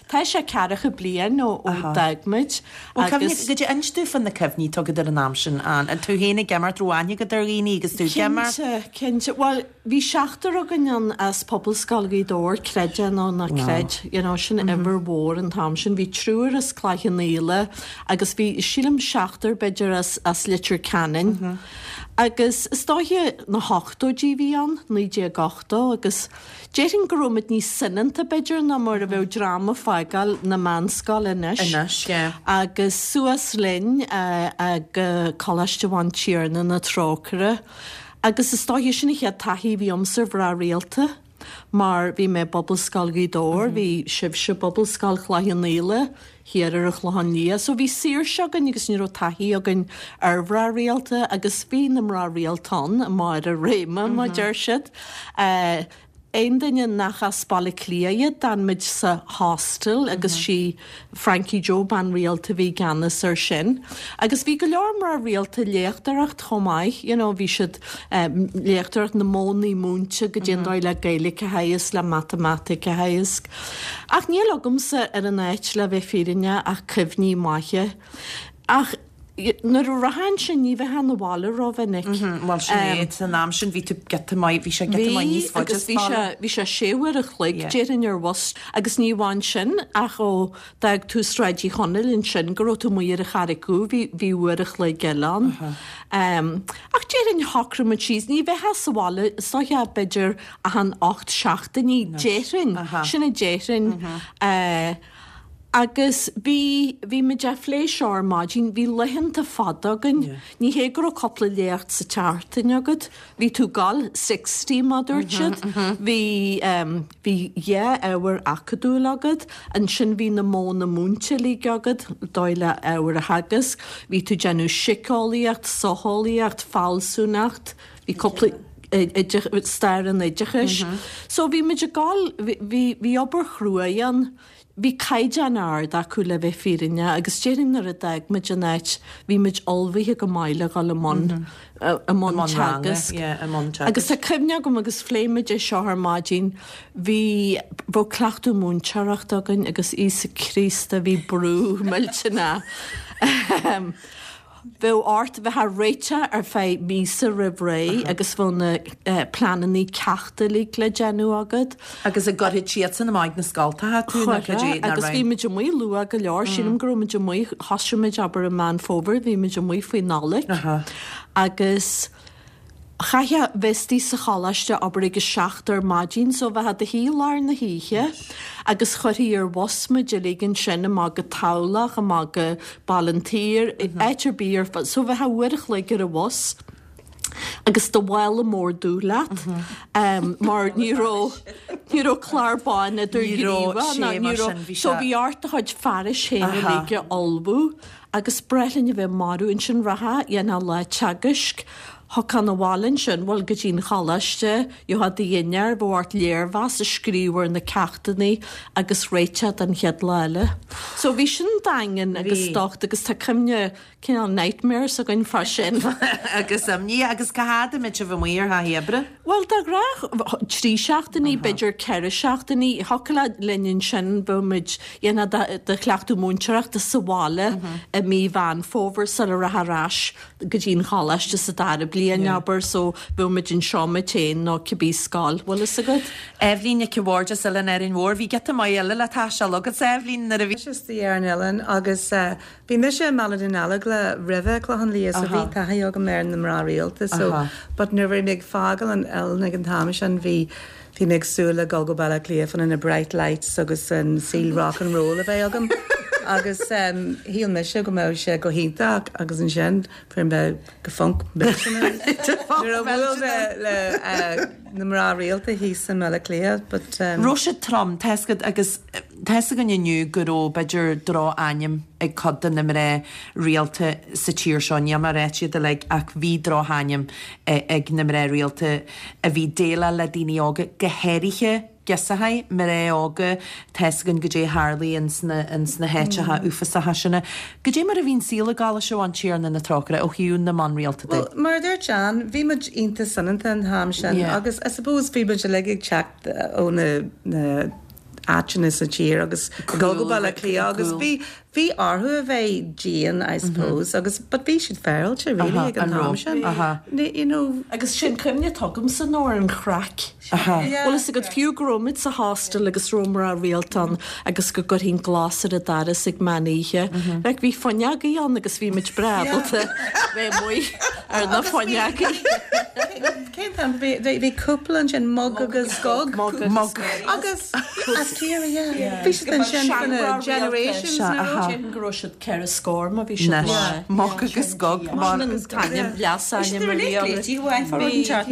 tá sé ceathracha bliain ó d'fhág muid agus. Goidé inis domh fá na cuimhní atá agat ar an am sin, Ann, tú féin ag imirt, raibh aithne agat ar dhaoine agus tú ag imirt? Cinnte, cinnte. Bhuel, bhí seachtar againn ann as Pobalscoil Ghaoth Dobhair, creid é nó ná creid, you know, sin uimhir mhór an t-am sin. Bhí triúr as Cloich Cheann Fhaola agus bhí, sílim, seachtar b'fhéidir as, as Leitir Ceanainn. Agus is dóiche na hochtóidí a bhí ann, naoi déag ochtó, agus déarfainn go raibh muid níos soineanta b'fhéidir ná mar a bheadh dream ag fágáil na meánscoile anois. Anois, yeah. Agus suas linn go Coláiste Bhantiarna na Trócaire agus is dóiche sin an chéad taithí a bhí agamsa ar mhná rialta mar bhí mé i bPobalscoil Ghaoth Dobhair, bhí sibhse i bPobalscoil Chloich Cheann Fhaola, thiar ar an Chlochán Liath. So bhí saoirse againn agus ní raibh taithí againn ar mhná rialta agus bhí na mná rialta ann i mbarr a réime, mar a deir siad. Aon duine nach as Baile Átha Cliath iad, d'fhan muid sa hostel agus sí Frankie Joe, bean rialta a bhí i gceannas air sin. Agus bhí go leor mná rialta ag léachtóireacht chomh maith, you know, bhí siad léachtóireacht na modhanna múinte goidé an dóigh le Gaeilge a theagasc, le matamaitic a theagasc. Ach níl agamsa ar an áit le bheith fírinneach ach cuimhní maithe. Ach nuair a rachfá ansin ní bheifeá 'na bhaile rómhinic. Bhuel sin é, san am sin bhí tú giota maith, bhí sé giota maith níos faide as baile. Bhí agus bhí sé, bhí sé sé uair a chloig déarfainn ar bhus agus ní amháin sin ach ó d'fhág tú Sráid Uí Chonaill ansin go raibh tú amuigh ar an Charraig Dhubh bhí, bhí uair a chloig eile ann. Ach déarfainn shocraigh muid síos, ní bheifeá sa bhaile, is dóiche b'fhéidir achan ocht seachtainí, déarfainn, sin a déarfainn. Agus bhí, bhí muid á phlé seo ar maidin, bhí laethanta fada againn. Ní hé go raibh cúpla léacht sa tseachtain agat, bhí tú ag gabháil sixty mar a dúirt siad. Bhí, bhí dhá ábhar acadúil agat, ansin bhí na modhanna múinte uilig agat, dóigh le ábhar a theagasc, bhí tú ag déanamh síceolaíocht, socheolaíocht, fealsúnacht, bhí cúpla, stair an oideachais. So bhí muid ag gabháil, bhí bhí obair chrua ann. Bhí caighdeán ard acu le bheith fírinneach agus déarfainn nuair a d'fhág muid an áit bhí muid ullmhaithe go maith le dhul i mbun i mbun teagasc. Agus tá cuimhne agam agus phléigh muid é seo ar maidin, bhí bheadh cleachtadh múinteoireachta againn agus Íosa Críost a bhí brú millteanach. Bheadh ort bheith á réiteach ar feadh míosa roimh ré agus bheadh na pleananna ceachta uilig le déanamh agat. Agus an gcuirfeadh siadsan amach ag na scoltacha tú nó cad é Agus bhí muid amuigh luath go leor, sílim go raibh muid amuigh, thosaigh muid abair i Meán Fómhair, bhí muid amuigh faoi Nollaig agus chaithfeá bheith istigh sa choláiste abair ag a seacht ar maidin so bheifeá i do shuí lár na hoíche agus chuirfí ar bhus muid uilig ansin amach go Tamhlacht, amach go Baile an tSaoir, áit ar bith ar fad so bheifeá uair a chloig ar an bhus agus do mhála mór dubh leat mar ní raibh ní raibh clár bán idirghníomhach ná ní raibh so bhí ort do chuid fearais féin uilig a ullmhú agus breith linn a bheith marbh ansin rachfá dhéanfá lá teagaisc Thiocfá 'na bhaile ansin, bhuel, go dtí an choláiste, gheofá do dhinnéar, bheadh ort léirmheas a scríobh ar na ceachtanna agus réiteach don chéad lá eile. So bhí sin daingean agus docht agus tá cuimhne, cineál nightmares againn fá sin. Agus imní, agus cá fhad a mbeadh sibh amuigh ar thaithí oibre? Bhuel, de ghnáth trí seachtainí, b'fhéidir ceithre seachtainí. Thiocfadh linn ansin, bheadh muid, dhéanfá do chleachtadh múinteoireachta sa bhaile i mí Mheán Fómhair sula rachfá ar ais go dtí an choláiste sa dara bliain, abair, so bheadh muid anseo muid féin nó cibé scoil, bhfuil fhios agat. Eibhlín Nic a' Bhaird as Oileán Árainn Mhór, bhí giota maith eile le taisteal agatsa, Eibhlín, nuair a bhí. Mise istigh ar an oileán agus bhí mise i mBaile Dún Alagla roimhe Clochán Liath so bhí taithí agam ar na mná rialta so but nuair a bhí mé ag fágáil an oileáin ag an t-am sin bhí Bhí mé ag súil le dul go Baile Átha Cliath fá na bright lights agus an saol rock and roll a bheith agam agus shíl mise go mbeadh sé go hiontach agus ansin fuair mé go func millteanach nuair a bhuail mé le na mná rialta thíos i mBaile Átha Cliath but. Raibh sé trom, tá fhios agat agus tá fhios againn inniu go raibh b'fhéidir droch-ainm ag cuid de na mná rialta sa tír seo, níl mé ag ráit iad uilig ach bhí droch-ainm ag na mná rialta a bhí déileáil le daoine óga, go háirithe girseachaí, mná óga, tá fhios againn goidé a tharlaigh ins na, ins na háiteacha uafásacha sin. Goidé mar a bhí an saol i gColáiste Bhantiarna na Trócaire ó thaobh na mban rialta de? Bhuel, mar a dúirt Jan, bhí muid iontach soineanta an t-am sin agus I suppose bhí muid uilig ag teacht ó na, na, áiteanna sa tír agus ag dul go Baile Átha Cliath agus bhí bhí orthu a bheith dian I suppose agus but bhí siad féaráilte really ag an t-am sin you know. Agus sin cuimhne atá agamsa ná ar an chraic. Bhfuil fhios agat fiú go raibh muid sa hostel agus raibh mná rialta ann agus go gcuirfinn glas ar an doras ag meán oíche. Like bhí fuinneogaí ann agus bhí muid breá ábalta bheith amuigh ar na fuinneogaí. Cén t-am bhí bhí cúpla ansin Mug agus Gog Mug agus as Ciarraí yeah. Bhí siad ansin for na generations nó Déarfainn go raibh siad ceithre scór má bhí siad maith. Mug agus Gog Mar an t-ainm leasainm a bhí orthu. Bhí siad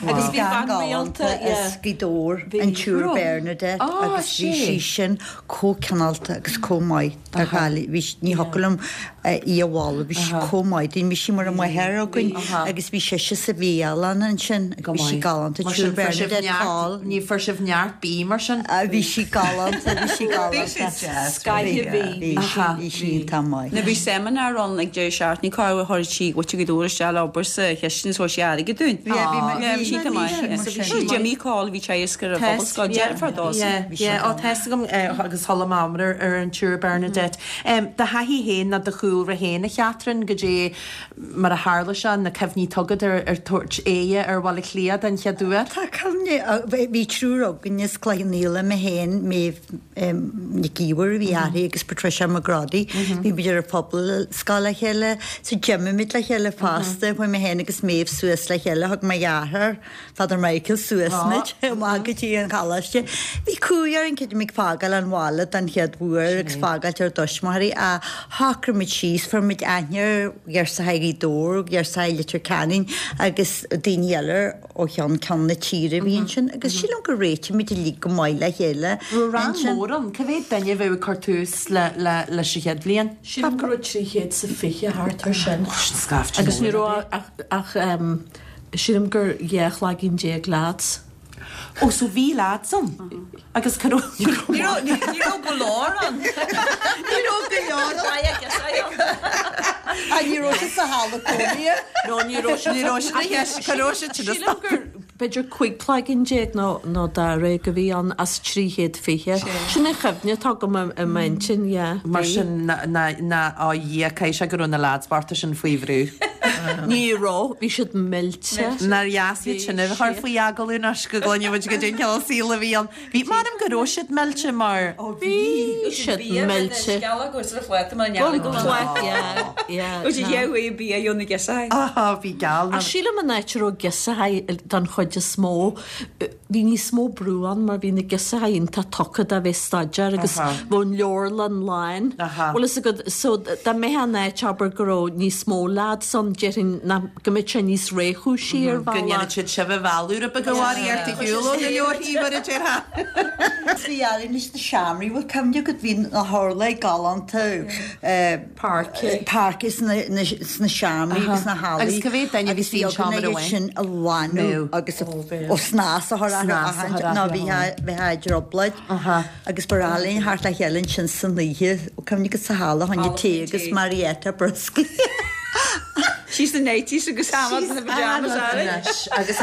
Agus bhí bean rialta as Gaoth Dobhair, an tSiúr Bernadette agus bhí sí sin chomh cineálta agus chomh maith do Ghaillimh. Bhí ní thiocfadh liom í a mholadh, bhí sí chomh maith dúinn, bhí sí mar an mháthair againn agus bhí sise sa bhialann ansin, bhí sí galánta, Mar sin tSiúr fuair sibh Bernadette neart, Coll. ní fuair sibh neart bídh mar sin? Bhí sí galánta, bhí sí galánta. Scaithe bhí. Bhí sí, bhí sí iontach maith. Nuair bhí seimineár ann ag deireadh seachtaine cá raibh chuir sí muintir Ghaoth Dobhair isteach le obair sa chistin is thug sí airgead dúinn. Yeah, bhí Yeah, bhí sí iontach maith. bhí sí mar sin. Jimmy Coll bhí teagasc ar an Phobalscoil, deirfiúr dó. Yeah, yeah, ó tá fhios agam agus chuala mé iomrá ar an tSiúr Bernadette. Do thaithí féin nó do chúlra féin, a Chatherine, goidé mar a tharla sé, na cuimhní atá agat ar ar tabhairt aghaidhe ar Bhaile Átha Cliath den chéad uair? Tá cuimhne, bhí triúr againn as Cloich Cheann Fhaola, mé féin, Méabh Nic Íomhair a bhí uirthi agus Patricia McGroddy, bhí muid ar an Phobalscoil le chéile, so d'imigh muid le chéile fosta, chuaigh mé féin agus Méabh suas le chéile, thug mo dheartháir, Father Michael suas muid amach go dtí an choláiste. Bhí cumhaidh orainn creidim ag fágáil an bhaile den chéad uair agus fágáilt ár dtuismitheoirí ach shocraigh muid síos, fuair muid aithne ar ghirseacha Ghaoth Dobhair, ghirseacha Leitir Ceanainn agus daoine eile ó cheann ceann na tíre a bhí ansin agus sílim gur réitigh muid uilig go maith le chéile. Raibh rang mór ann, cá mhéad duine a bheadh ag cur tús le le leis an chéad bhliain? Sílim go raibh trí chéad is a fiche thart ar sin. Sin scaifte Agus ní mór. raibh ach ach sílim gur dhá chlaigín déag lads. Ó so bhí lads ann agus cá raibh Ní raibh ní raibh go leor ann. Ní raibh go leor ann. Ah, ní raibh sé sa halla cónaithe. No, ní raibh sé Ní raibh sé na cheist, cá raibh sé sin Sílim gur b'fhéidir cúig cloigeann déag nó nó dáréag a bhí ann as trí chéad fiche. Sin an chuimhne atá agam i i m'intinn, yeah. Mar Bhí. sin ná ná ná á Dhia caithfidh sé go raibh na lads bochta sin faoi bhrú. Ní raibh, bhí siad millte. Nár dheas iad sin a chur faoi agallamh anois go gcluinfidh muid goidé an cineál saoil a bhí ann. Bhí m'anam go raibh siad millte mar Bhí siad millte. Aha, bhí geal Ach sílim an áit a raibh girseachaí don chuid is mó, bhí níos mó brú ann mar bhí na girseachaí iontach tugtha do bheith staidéar agus Aha. bheadh an leabharlann lán. Aha. Bhfuil fhios agat, so dá mbeadh an áit abair go raibh níos mó lads ann, déarfainn nach go mbeadh sé níos réchúisí ar go bhealach. ndéanfadh siad sibh a mhealladh rud beag a mharaí ar do shiúl ó na leabharthaí mar a déarfá. Bhí ealaín leis na seomraí, bhfuil cuimhne agat bhí na hurláir galánta Páirce. páirce sna sna seomraí agus na hallaí. Agus cá mhéad duine a bhí sa seomra amháin? sin a lánú agus ó snas a chur Snas a chur ná orthu. bhí bhí trioblóid agus ba ealaín thart le chéile ansin san oíche cuimhne agat sa halla tháinig tae agus Marietta brioscaí. She's the nineties agus na pajamas Anois, agus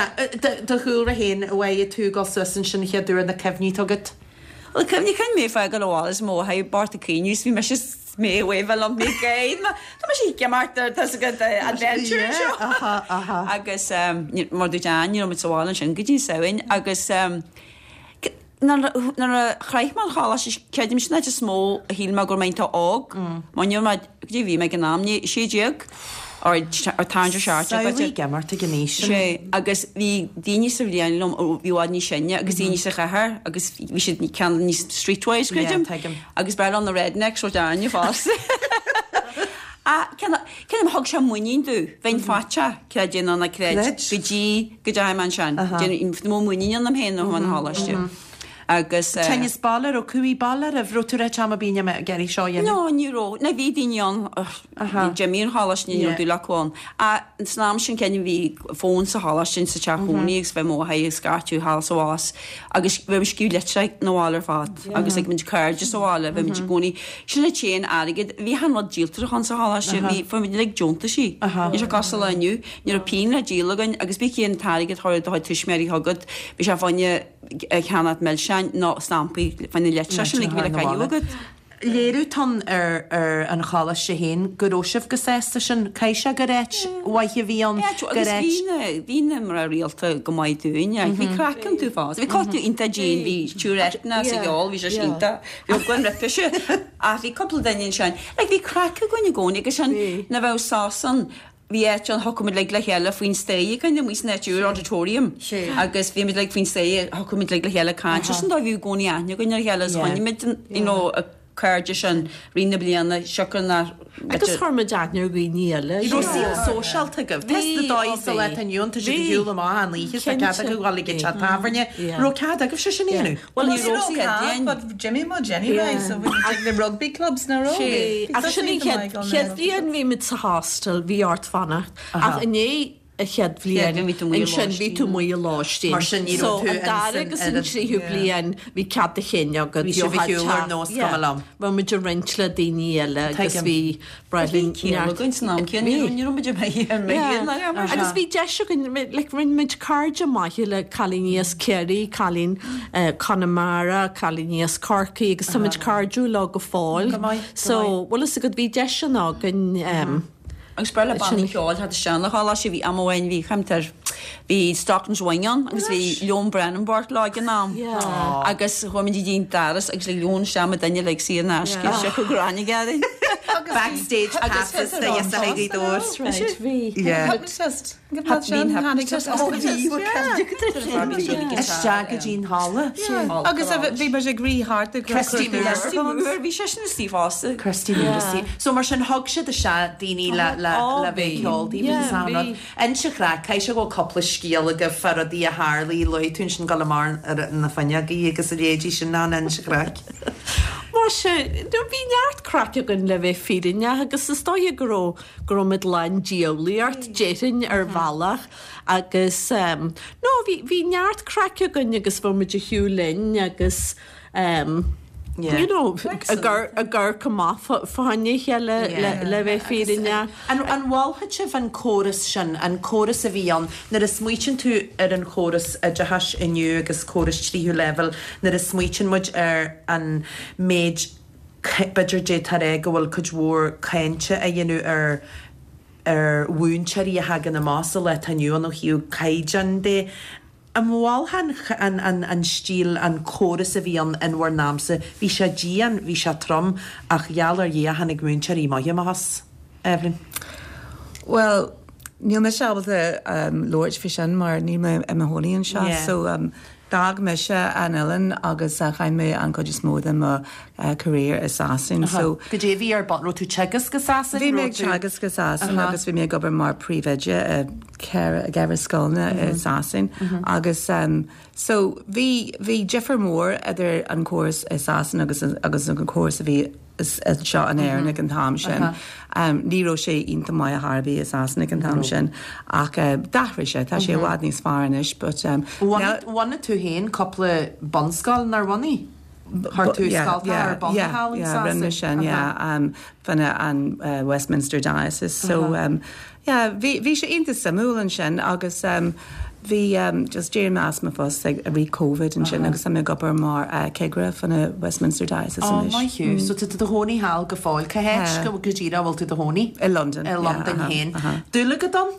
do chúlra féin uaidh tú go suas ansin chéad uair na cuimhní agat. Well cuimhní cinn mé fágáil abhaile is mo ha bart a caoineadh bhí mise mé bhfuil an mé géid Tá me sí gemartar tá go adventure seo. Aha, aha. Agus um, mar dúirt Ann, ní raibh muid sa bhaile ansin go dtí Samhain agus um, nuair a chroith mé an choláiste creidim sin áit is mó a shíl mé go raibh mé iontach óg. Mar ní raibh mé go dtí bhí mé ag an am ní sé déag or or tarraingt ar seacht Samhlaigh ag imeacht ag an aois sin. Sé agus bhí daoine sa bhliain liom ó bhí i bhfad níos sine agus daoine sa chathair agus bhí siad ceann níos streetwise creidim. Yeah, tuigim. Agus b'fhearr na rednecks ó Darne fosta. A cén thug sé muinín domh, bheinn faitíoch creid é nó ná creid Creid. go dtí go dteachaigh mé ansin. Déan mó muinín ionam féin ó an choláiste. Agus eh, Teannas baile ó cúí baile a bhro tú am a bíine me gerí seo dhéanamh? No, ní raibh. Na bhí daoine ann Jimmy an choláiste ní Yeah. raibh dúil acu ann. A san am sin cén bhí fón sa choláiste sa teach cónaí agus bheith mó ag scairteadh thall sa bhás agus bheith scríobh litreacha na bhaile ar fad agus ag muid cairde sa bhaile bheith muid i gcónaí sin le téan airgead bhí han rud díoltar sa choláiste bhí fuair muid like deontaisí. Ní sé cosúil le inniu ní raibh pingin le díol againn agus bí cén t-airgead thar do chuid tuismitheoirí chugat bhí sé fáinne ceannach milseáin nó stampaí fáinne letra sin le go bhí le caitheamh agat. Léiriú tan ar ar an choláiste féin go raibh sibh go sásta sin caithfidh sé gur áit mhaith a bhí ann Yeah, gur agus áit bhí na bhí na mná rialta go maith dúinn, bhí craic an tú fás. Bhí cultúr iontach dian, bhí túretna sa gheall, bhí sé iontach, bhí gwan roimhe ach bhí cúpla duine ansin. Like, bhí craic againn i gcónaí agus sin na bheadh sásan bhí áit an thugmuid le le chéile faoin staighre kind of san áit úr auditorium. Sé. Agus bhí muid like faoin staighre thugmuid le le chéile caint. Sin dá bhí i gcónaí aithne againn ar chéile, is Yeah. choinnigh muid, you know, a cairde sin rí na bliana siocair na Agus chuir muid aithne ar dhaoine eile. Bhí raibh saol sóisialta agaibh. Test na dóigh sa le inniu tá siad ag siúl amach an oíche sa Cinnte. cead acu ghabháil ag teach tábhairne. Yeah. Raibh cead agaibh sé sin a dhéanamh. Well, ní Ní raibh raibh sí cead, but d'imigh muid anyway, so we like the rugby clubs na raibh. Sé, ach sin an chéad chéad bhliain bhí muid sa hostel, bhí ort fanacht. Ach inné a chéad bhliain, bhí tú amuigh i ansin bhí tú amuigh i lóistín. Mar sin ní raibh So tú an dara in agus san- an tríú bliain bhí cead a chinn agat. Bhí sibh ag siúl ar nós cuma liom. Bhí muid ag roinnt le daoine eile agus Tuigim. bhí Bradley againn san am céanna, ní ní raibh muid ag ar Yeah. Agus bhí deis againn like, rinne muid cairde maithe le cailíní as Ciarraí, cailín uh, Conamara, cailíní as Corcaigh agus tá muid cairdiúil leo go fóill. Go maith, go So bhfuil fhios agat bhí deis an againn um, Agus bre le bannaí ceoil had isteach le choláiste bhí am amháin bhí chemtar bhí Stockton's Wing ann agus bhí Leon Brennan Bart lá ag an am. Yeah. Agus chuaigh muid dtí'n daras agus le Leon se duine le sí an aisce se go gráine gadain. Backstage passes do Ghaoth Dobhair. Bhí. Yeah. Hypnotist. Isteach go dtí an halla. Agus bhí muid ag rith thart ag Christy Moore. Bhí seisean istigh fosta. Christy Moore istigh. So mar sin thug siad isteach daoine le le le bheith ag ceol daoibh agus an rud. Inis an chraic, caithfidh sé go bhfuil cúpla scéal agaibh fá rudaí a tharlaigh, luaigh tú ansin dul amach ar na fuinneogaí agus a leithéidí sin ná inis an chraic. Muise, no bhí neart craic againn le bheith fírinneach agus is dóigh go raibh go raibh muid lán diabhlaíocht déarfainn ar bhealach agus um, no bhí bhí neart craic againn agus bhí muid ag shiúl linn agus um, Yeah. you know, ag amharc amach fá choinne a chéile le le bheith fírinneach. An an mholfadh sibh an córas sin, an córas a bhí ann, nuair a smaoitíonn tú ar an chóras oideachais inniu agus córas tríú leibhéal, nuair a smaoitíonn muid ar an méid b'fhéidir d'fhéadfá a rá go bhfuil cuid mhór cainte á dhéanamh ar ar mhúinteoirí a thagann amach sa lá atá inniu ann ó thaobh caighdeán de. An mholfá an, an, an stíl, an córas a bhí ann in bhur n-amsa, bhí sé dian, bhí sé trom, ach gheall ar Dhia tháinig múinteoirí maithe amach as, Evelyn. Well, níl mise ábalta um, labhairt faoi sin mar níl mé i mo chónaí anseo, Yeah. so um, d'fhág mise an oileán agus uh, chaith mé an chuid is mó de mo uh, career i Sasain. So Goidé a bhí ar bun, raibh tú teagasc go Sasain? Bhí mé Raibh ag tú- teagasc go Sasain Aha. agus bhí mé ag obair mar príomhoide i ceithre ceithre scoileanna i Sasain agus um, so bhí bhí difear mór idir an córas i Sasain agus agus an córas a bhí is- anseo in Éirinn ag an t-am sin. Um, ní raibh sé iontach maith ar bith i Sasain ag an t-am sin ach uh, d'athraigh sé tá sé i bhfad níos fearr anois, but um, Bhunaigh bhunaigh tú féin cúpla bunscoil nár bhunaigh? Chuir tú scolta ar bun thall in yeah, rinne Sasain? sin, yeah, um, fá choinne an uh, Westminster Diocese. So um, yeah, bhí bhí sé iontach suimiúil ansin agus um, bhí um, just d'éirigh mé as mo phost ag rith COVID ansin agus tá mé ag obair mar uh, cigire fá choinne Westminster Diocese Ó, anois. maith thú. So tá tú i do chónaí thall go fóill. Cá háit go go díreach bhfuil tú i do chónaí? I London. I Londain yeah, féin. aha, aha. Dúil agat ann?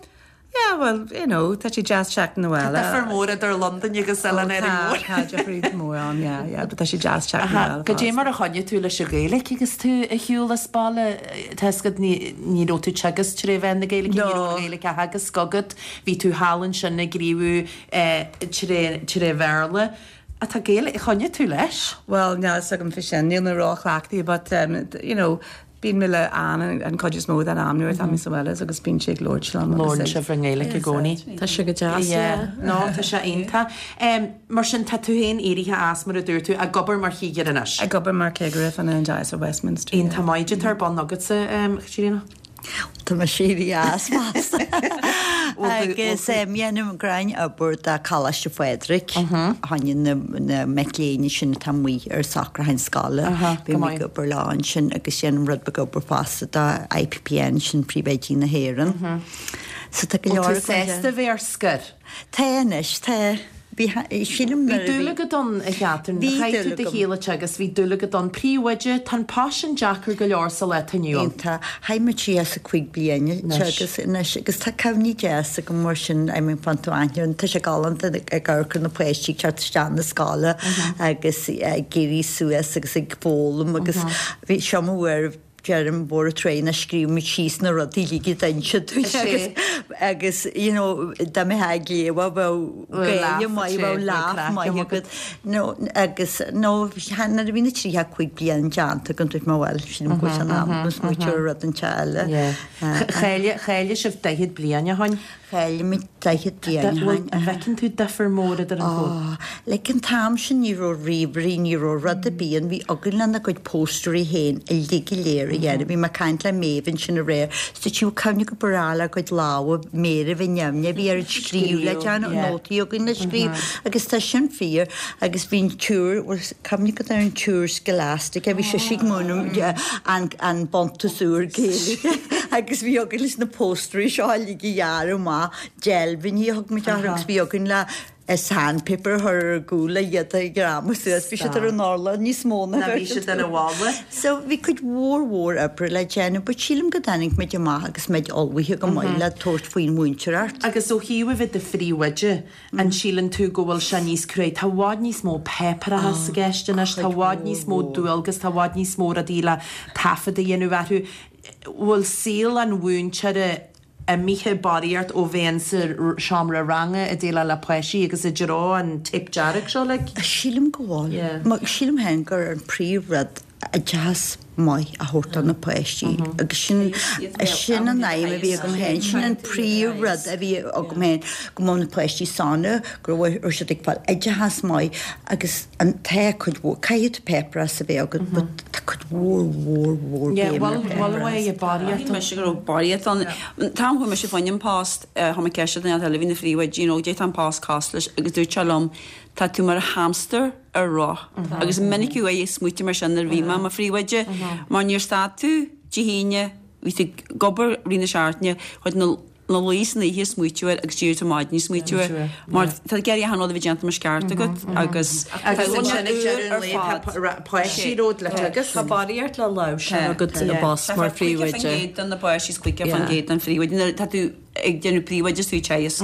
Yeah, well, you know, tá sé deas teacht 'na bhaile. Difear mór idir Londain agus Oileán Árainn Mhór. Tá difear mór ann, yeah, yeah, but tá sé deas teacht 'na bhaile. Goidé mar a choinnigh tú leis an Ghaeilge agus tú ar shiúl as baile tá a fhios agat ní ní raibh tú teagasc tré mheán na Gaeilge, ní No. raibh an Ghaeilge á theagasc agat, bhí tú thall ansin ag gníomhú eh, tré tré Bhéarla. A tá Gaeilge choinnigh tú leis? Well, níl a fhios agam faoi sin, níl mé róchleachtaithe, but um, you know, bíonn mé le Ann an chuid is mó den am nuair atá mé sa bhaile agus bíonn sé ag labhairt liom. agus Labhrann ag- sibh an Ghaeilge i gcónaí. Tá sé go deas, Yeah. No, tá sé iontach. Um, mar sin tá tú féin éirithe as mar a dúirt tú ag obair mar chigire anois. Ag obair mar chigire fá choinne an Diocese of Westminster. Iontach maith tá ar bun agatsa um, Caitríona? Tá mé éirithe as fosta. Agus dhéanaim gnáth-obair do Choláiste Phádraig fá choinne na na mic léinn sin atá amuigh ar socrúchán scoile. Aha, Bhí go mé maith. ag obair lá ansin agus déanaim rud beag obair fosta do IPPN sin príomhoidí na hÉireann. So tá go Bhfuil leor tú sásta bheith ar scor? Tá anois tá bhí sílim Bhí dúil agat ann a Chathair, Bhí chaith tú dúil do agam. shaol agus bhí dúil agat ann príomhoide, tá an paisean deacair go leor sa lá atá inniu ann. Tá chaith mé tríocha cúig bliana agus anois agus tá cuimhní deasa agam mar sin I mean fan tú aithne tá sé galánta ag amharc ar na páistí teacht isteach na scoile agus ag éirí suas agus ag foghlaim agus bhí seo uair deirim mhór tréna scríobh muid síos na rudaí uilig d'inse agus agus you know dá mé léwa Bheadh gaine maith bheadh laugh maith agat no agus no nuair a bhí na tríocha cúig bliain déanta agam dúirt mé bhuel sin go san am agus smaoineamh ar rud inteacht eile. Cheiliúraigh sibh daichead bliain ó shin. Cheiliúraigh muid daichead bliain ó shin. An bhfeiceann tú difear mór idir an chomh? Like an t-am sin ní raibh ríomhairí ní raibh rud ar bith ann bhí againn lena gcuid póstairí féin uilig go léir a dhéanamh. Bhí mé ag caint le Méabh ansin aréir, so tí cuimhne go breá le cuid lámha méire bhí neamhne bhí ar scríobh le déanamh nótaí againn le scríobh agus tá sin fíor agus bhí an tSiúr cuimhne go an tSiúr Scholastica bhí sé sí múineadh an an Buntas Úr Gaeilge agus bhí againn leis na póstairí seo uilig a dhearadh amach deilbhíní thug muid orthu agus bhí againn le sandpaper a chur ar a gcúl le iad a ghreamú suas, bhí siad ar an urlár níos mó ná bhí siad ar an bhalla. So bhí cuid mhór mhór oibre le déanamh, but sílim go dtáinig muid amach agus muid ullmhaithe go maith le tabhairt faoin mhúinteoireacht. Agus ó thaobh a bheith i do phríomhoide, an síleann tú go bhfuil sé níos cruaidh? Tá i bhfad níos mó páipéarachas i gceist anois, tá i bhfad níos mó dualgas, tá i bhfad níos mó rudaí le taifead a dhéanamh orthu. Bhfuil saol an mhúinteora imithe barraíocht ó bheith insa seomra ranga ag déileáil le páistí agus i dtreo an téip dearg seo like? Sílim go bhfuil. Yeah. Sílim féin gur an príomh rud oideachas maith a thabhairt do na páistí agus sin sin an aidhm a bhí agam féin, sin an príomh rud a bhí agam féin, go mbeadh na páistí sona, go raibh siad ag fáil oideachas maith agus an tá cuid mhór, caithfidh tú páipéarachas a bheith agat but tá cuid mhór mhór mhór Yeah, béim bhfuil ar bhfuil pháipéarachas. uaidh i barraíocht Shíl mise go raibh barraíocht ann. An t-am chuaigh mise fá choinne an post, chuir mé ceist ar dhuine eile a bhí ina phríomhoide, you know, goidé tá an post cosúil leis agus dúirt sé liom, tá tú mar hamster ar roth. Agus minic uair ag smaoitiú mar sin nuair a bhí mé i mo phríomhoide, mar níor stad tú Dé hAoine, bhí tú ag obair i rith na seachtaine, chuaigh tú ina luí san oíche ag smaoitiú air agus d'éirigh tú maidin ag smaoitiú air. Mar tá tú ag iarraidh achan rud a bheith déanta mar is ceart agat agus Agus ansin ag deireadh an lae tá páistí romhat agus. Tá barraíocht le láimhseáil agat i bpost mar Caoga faoin phríomhoide. gcéad do na páistí is caoga faoin gcéad don phríomhoide. Nuair atá tú ag déanamh príomhoide is tú ag teagasc.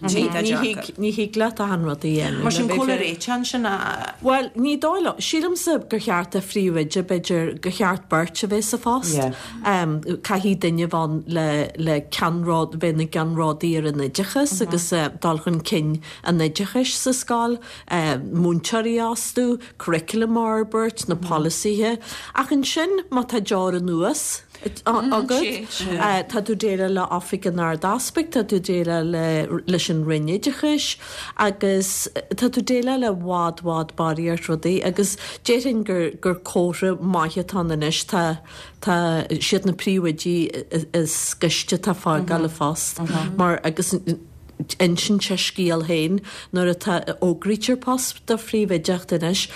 Ní Ní thig ní thig leat achan rud a dhéanamh. Mar sin Le bheith cá bhfuil fair. réiteach sin a Well, ní dóigh liom. Sílimse gur cheart do phríomhoide b'fhéidir gur cheart beirt a bheith sa phost. Yeah. Um, caithfidh duine bheith le le ceannród bheith na gceannródaí ar an oideachas agus uh, dul chun cinn an oideachais sa scoil, uh, múinteoirí a fhostú, curriculum a fhorbairt, na polasaithe. Ach ansin má tá deoir anuas agat, uh, tá tú déileáil le Oifig an Ard-Easpaig, tá tú déileáil le leis an Roinn Oideachais agus tá tú déileáil le bhfad bhfad barraíocht rudaí agus déarfainn gur gur comhartha maith atá ann anois tá tá siad na príomhoidí is gaiste atá fágáil an phost mar agus insíonn sé scéal féin nuair atá fógraítear post do phríomhoideacht anois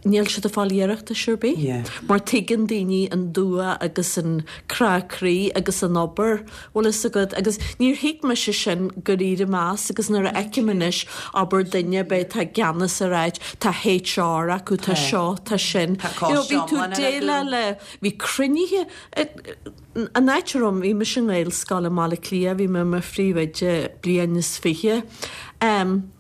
níl siad ag fáil iarratais ar bith. Yeah. Mar tuigeann daoine an dua agus an crá croí agus an obair bhfuil fhios agat agus níor thuig mise sin go ríre meas agus nuair a fheicim anois obair duine b'fhéidir tá ceannas ar áit, tá HR acu, tá seo, tá sin. Tá You know, bhí coiste tú iomlán ar déileáil le bhí cruinnithe an áit a raibh bhí mise i nGaelscoil i mBaile Átha Cliath, bhí mé mar phríomhoide bliain is fiche. Um,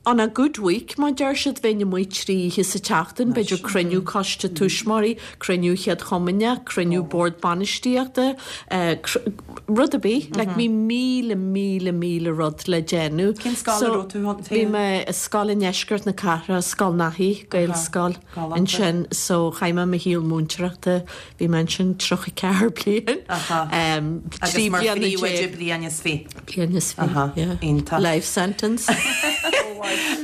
On a good week, má deir siad bheinn amuigh trí oíche sa tseachtain, b'fhéidir cruinniú coiste tuismitheoirí, cruinniú chéad chomaoineach, cruinniú bord bainistíochta, uh, rud ar bith, like bhí míle míle míle rud le déanamh. Cén scoil a raibh tú ann? Bhí mé i scoil i ndeisceart na cathrach, Scoil Naithí, Gaelscoil Galánta. ansin, so chaith mé mo shaol múinteoireachta, bhí mé ansin tríocha ceathair bliain. Aha. Um, Agus trí mar bliana phríomhoide déag. bliain is fiche. Bliain is fiche, Aha, yeah. iontach. Life sentence.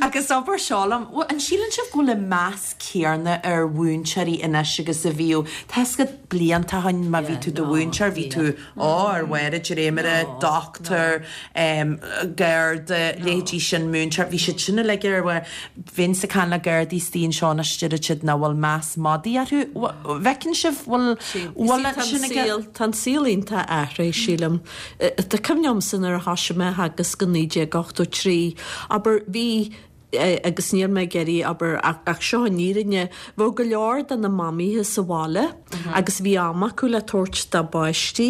Agus obair seo liom, an síleann sibh go bhfuil an meas céanna ar mhúinteoirí anois agus a bhíodh Tá blianta ó shin má bhí tú do mhúinteoir, bhí tú ó ar mhair dréimire, doctor, um, garda, leithéidí sin múinteoir, bhí siad sin uilig ar mhair bhín sa can le Gardaí istigh anseo anois siad nach bhfuil meas madaidh orthu. Bhfeiceann sibh bhfuil bhfuil sin ag Tá an saol iontach athraithe sílim. Tá cuimhne agamsa nuair a thosaigh mé agus go naoi déag ochtó trí, abair bhí agus níl mé ag iarraidh abair ach seo an fhírinne, bheadh go leor de na mamaithe sa bhaile agus bhí am acu le tabhairt dá bpáistí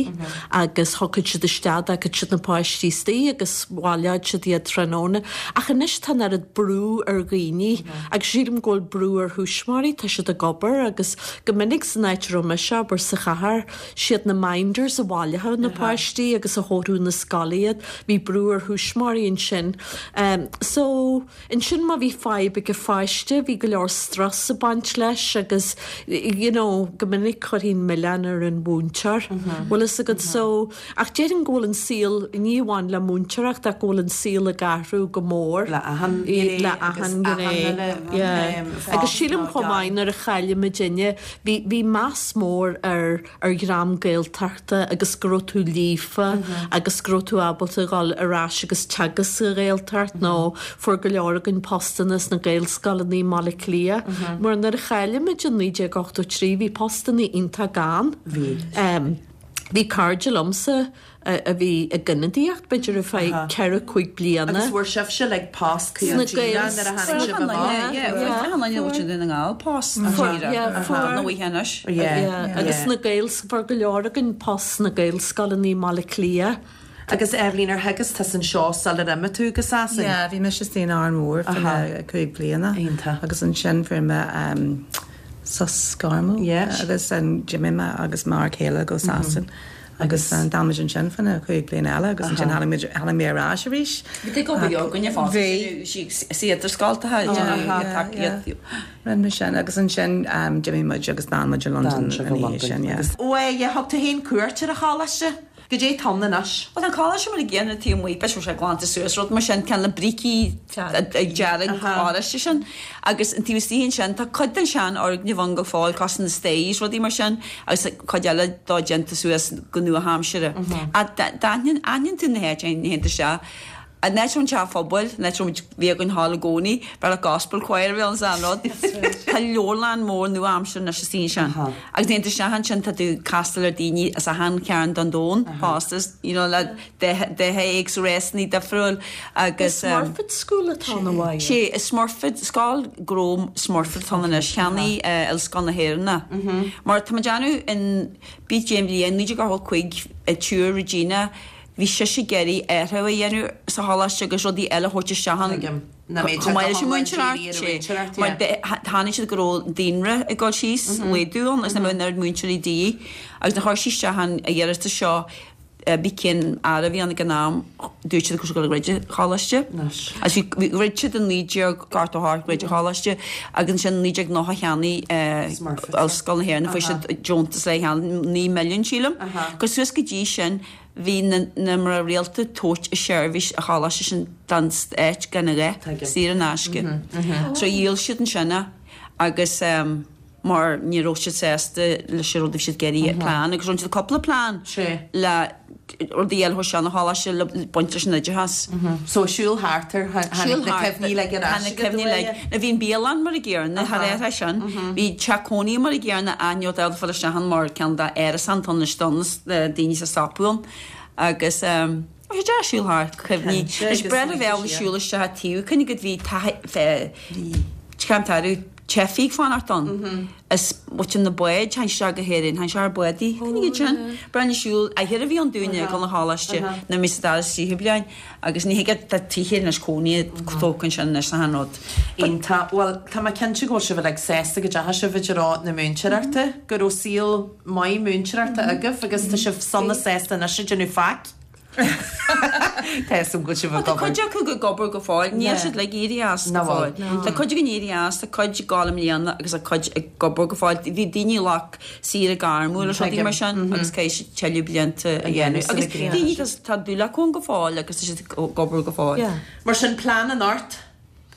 agus thiocfadh siad isteach d'fhágfadh siad na páistí istigh agus bhaileodh siad iad tráthnóna. Ach anois tá an oiread brú ar dhaoine agus sílim go bhfuil brú ar thuismitheoirí, tá siad ag obair agus go minic san áit a raibh mise abair sa chathair, siad na minders a bhaileodh na páistí agus a thabharfadh na scoile iad, bhí brú ar thuismitheoirí ansin. Um, so ansin má bhí fadhb ag an pháiste, bhí go leor strus ag baint leis agus you know, go minic chuirfinn milleán ar an mhúinteoir. Bhfuil fhios agat so ach déarfainn go bhfuil an saol ní amháin le múinteoireacht ach go bhfuil an saol ag athrú go mór. Le achan le achan gné. Agus sílim chomh maith nuair a chailleadh muidinne, bhí bhí meas mór ar ar dhream Gaeltachta agus go raibh tú líofa agus go raibh tú ábalta dhul ar ais agus teagasc sa Ghaeltacht nó fuair go leor againn postanna sna Gaelscoileanna i mBaile Átha Cliath. Mar nuair a chailleadh muid in naoi déag ochtó trí bhí postanna iontach gann. Bhí. Um, Bhí cairde liomsa a bhí ag ionadaíocht, b'fhéidir ar feadh ceithre, cúig bliana. Agus bhfuair sibhse like post chuig an tíre nuair a tháinig sibh amach? Yeah, fuair achan duine a bhfuil Dún na nGall post an tíre. Nó oíche anois. Yeah, agus sna Gaels, fuair go leor againn post sna Gaelscoileanna i mBaile Átha Cliath. Agus Eibhlín, ar theagasc tusa anseo sular imigh tú go Sasain? Yeah, bhí mise istigh in Árainn Mhór fá na cúig bliana. Iontach. Agus ansin fuair mé sos gairmiúil. Yeah. Agus d'imigh mé agus m'fhear céile go Sasain. Agus d'fhan muid ansin fá na cúig bliana eile agus ansin tháinig muid, tháinig mé ar ais arís. Bhí tú ag obair againne fosta. Bhí. Sí idir scoltacha, tacaíocht. Rinne mé sin agus ansin d'imigh muid agus d'fhan muid i Londain ina dhiaidh sin, yeah. Ó yeah, thug tú féin cuairt ar an choláiste? Goidé tá ann anois. Bhuel tá an coláiste mar a gcéanna taobh amuigh, b'fhéidir go bhfuil sé glanta suas, rud mar sin, cineál na brící dearg oráiste sin. Agus an taobh istigh ansin tá cuid den seanfhoirgneamh ann go fóill, cosúil na stairs, rudaí mar sin, agus cuid eile dó déanta suas go nua-aimseartha. Ach d'aithníonn aithníonn tú na háit nuair a théann tú isteach. An áit a raibh an teach phobail, an áit a raibh muid, bhí againn thall i gcónaí, b'fhearr le gospel choir a bhí ann is an rud. Tá leabharlann mór nua-aimseartha anois istigh ansin. Agus nuair a théann tú isteach ansin tá tú ag castáil ar daoine as achan chearn den domhan fosta, you know, le daithe éagsúil, rásanna difriúil agus. Is Smurfit School atá ann a Mháire. Sé, is Smurfit, Scoil Ghnó Smurfit atá ann anois, cheannaigh Ollscoil na hÉireann é. Mar tá muid ag déanamh in, b'í cén bhliain, naoi déag ochtó cúig, ag Siúr Regina, Bhí sise ag iarraidh athrú a dhéanamh sa choláiste agus rudaí eile a thabhairt isteach ann chomh maith leis an múinteoireacht. Mar chonaic siad go raibh an daonra ag dul síos, laghdú ann agus nach mbeadh an oiread múinteoirí de dhíth. Agus nuair a chuir sí isteach an iarratas seo, b'í cén aire a bhí ann ag an am, dúirt siad go raibh siad ag dul a dhruid an choláiste. Agus bhí, dhruid siad i naoi déag ochtó a hocht, dhruid an choláiste agus ansin i naoi déag nócha cheannaigh Ollscoil na hÉireann, fuair siad deontas le cheannach, naoi milliún sílim. Agus suas go dtí sin, Bhí na mná rialta ag tabhairt a seirbhís an choláiste sin don stát gan a dhath, saor in aisce. So dhíol siad ansin é agus mar ní raibh siad sásta leis an rud a bhí siad ag iarraidh, plean, agus rinne siad cúpla plean le rudaí eile a thabhairt isteach an choláiste le baint leis an oideachas. So siúl thart air, tháinig na cuimhní uilig ar ais Tháinig na cuimhní uilig. Now bhí an bialann mar a gcéanna, thar air sin. Bhí teach cónaithe mar a gcéanna aithneodh daoine fáil isteach ann mar ceann dá árasán tá anois do na daoine sa stopadh ann agus bhí sé deas siúl thart, cuimhní. Is breá le bheith ábalta siúl isteach an taobh, cuimhnigh go bhí taithí, teifigh ag fanacht ann. Is muid na báid, tháinig isteach go hÉirinn, tháinig isteach ar bádaí, cuimhnigh iad sin. Breá le siúl, athair a bhí ann dúinne ag dul 'na choláiste nuair a bhí sa dara tríú bliain agus ní thig tá tithe anois cónaithe tógtha ansin anois achan rud. Iontach. Bhuel, tá mé cinnte go bhfuil sibh uilig sásta go dteachaigh sibh i dtreo na múinteoireachta, go raibh saol maith múinteoireachta agaibh agus tá sibh sona sásta anois ag déanamh faic. Tá a fhios agam go bhfuil sibh Tá ag obair. cuid acu ag obair go fóill, níl siad uilig éirithe as go Ná fóill. bhfuil. Tá cuid againn éirithe as, tá cuid ag gabháil i mbliana agus tá cuid ag obair go fóill. Bhí daoine a ghlac saoire gairmiúil agus rudaí mar sin agus caithfidh siad tuilleadh blianta a dhéanamh. Agus daoine tá dúil acu ann go fóill agus tá siad ag obair go fóill. Mar sin plean anocht,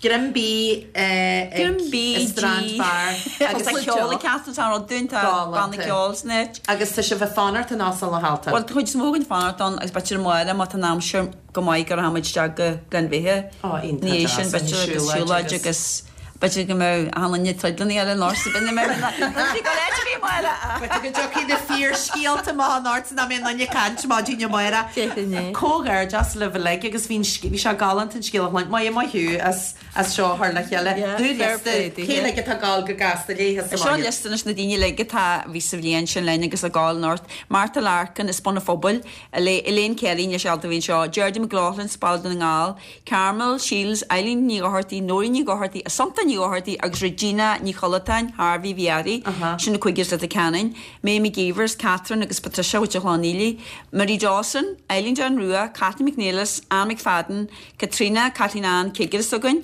Greim bídh Greim ag bídh, Strand dí. Bar Agus tá ceol ag ceacht an rud dúinn, tá banna Galánta. ceoil san áit. Agus tá sibh ag fanacht in Óstán na hAltan. Bhuel, tá cuid is mó againn ag fanacht ann agus b'fhéidir amárach má tá an aimsir go maith go rachaidh muid isteach go Gleann Bheithe. Ó, iontach Ina dhiaidh deas, sin, an b'fhéidir agus siúlóid siúlóid agus- agus b'fhéidir go mbeidh achan duine ag troid lena chéile anocht sa bhinn B'fhéidir go áit a bhí amárach. B'fhéidir go dtiocfaidh na fíorscéalta amach anocht nach mbeidh aon duine ag caint maidin amárach. Definitely. Comhghairdeas libh uilig agus bhí an sc- bhí sé galánta an scéal a chluinstin. Maith, maith thú as as seo a chur le chéile. Yeah, fair play Dú liosta, cé uilig atá ag gabháil go gasta léithe sa Seo mbaile? liosta anois na daoine uilig atá a bhí sa bhliain sin linn agus ag gabháil anocht. Martha Larkin as Bun an Phobail, Elaine Kelly níl sí ábalta a bheith anseo, Geraldine McLaughlin as Baile Dhún na nGall, Carmel Shields, Eileen Ní Dhochartaigh, Nóirín Ní Dhochartaigh, Assumpta Ní Dhochartaigh agus Regina Ní Chollatáin, Harvey bhí uirthi, sin na cúigear as Leitir Ceanainn, May McGeevers, Catherine agus Patricia Mhuintir Chlann Éile, Marie Dawson, Eileen John Rua, Kathleen McNeilis, Anne McFadden, Caitríona, Kathleen Ann, cigire s'againn,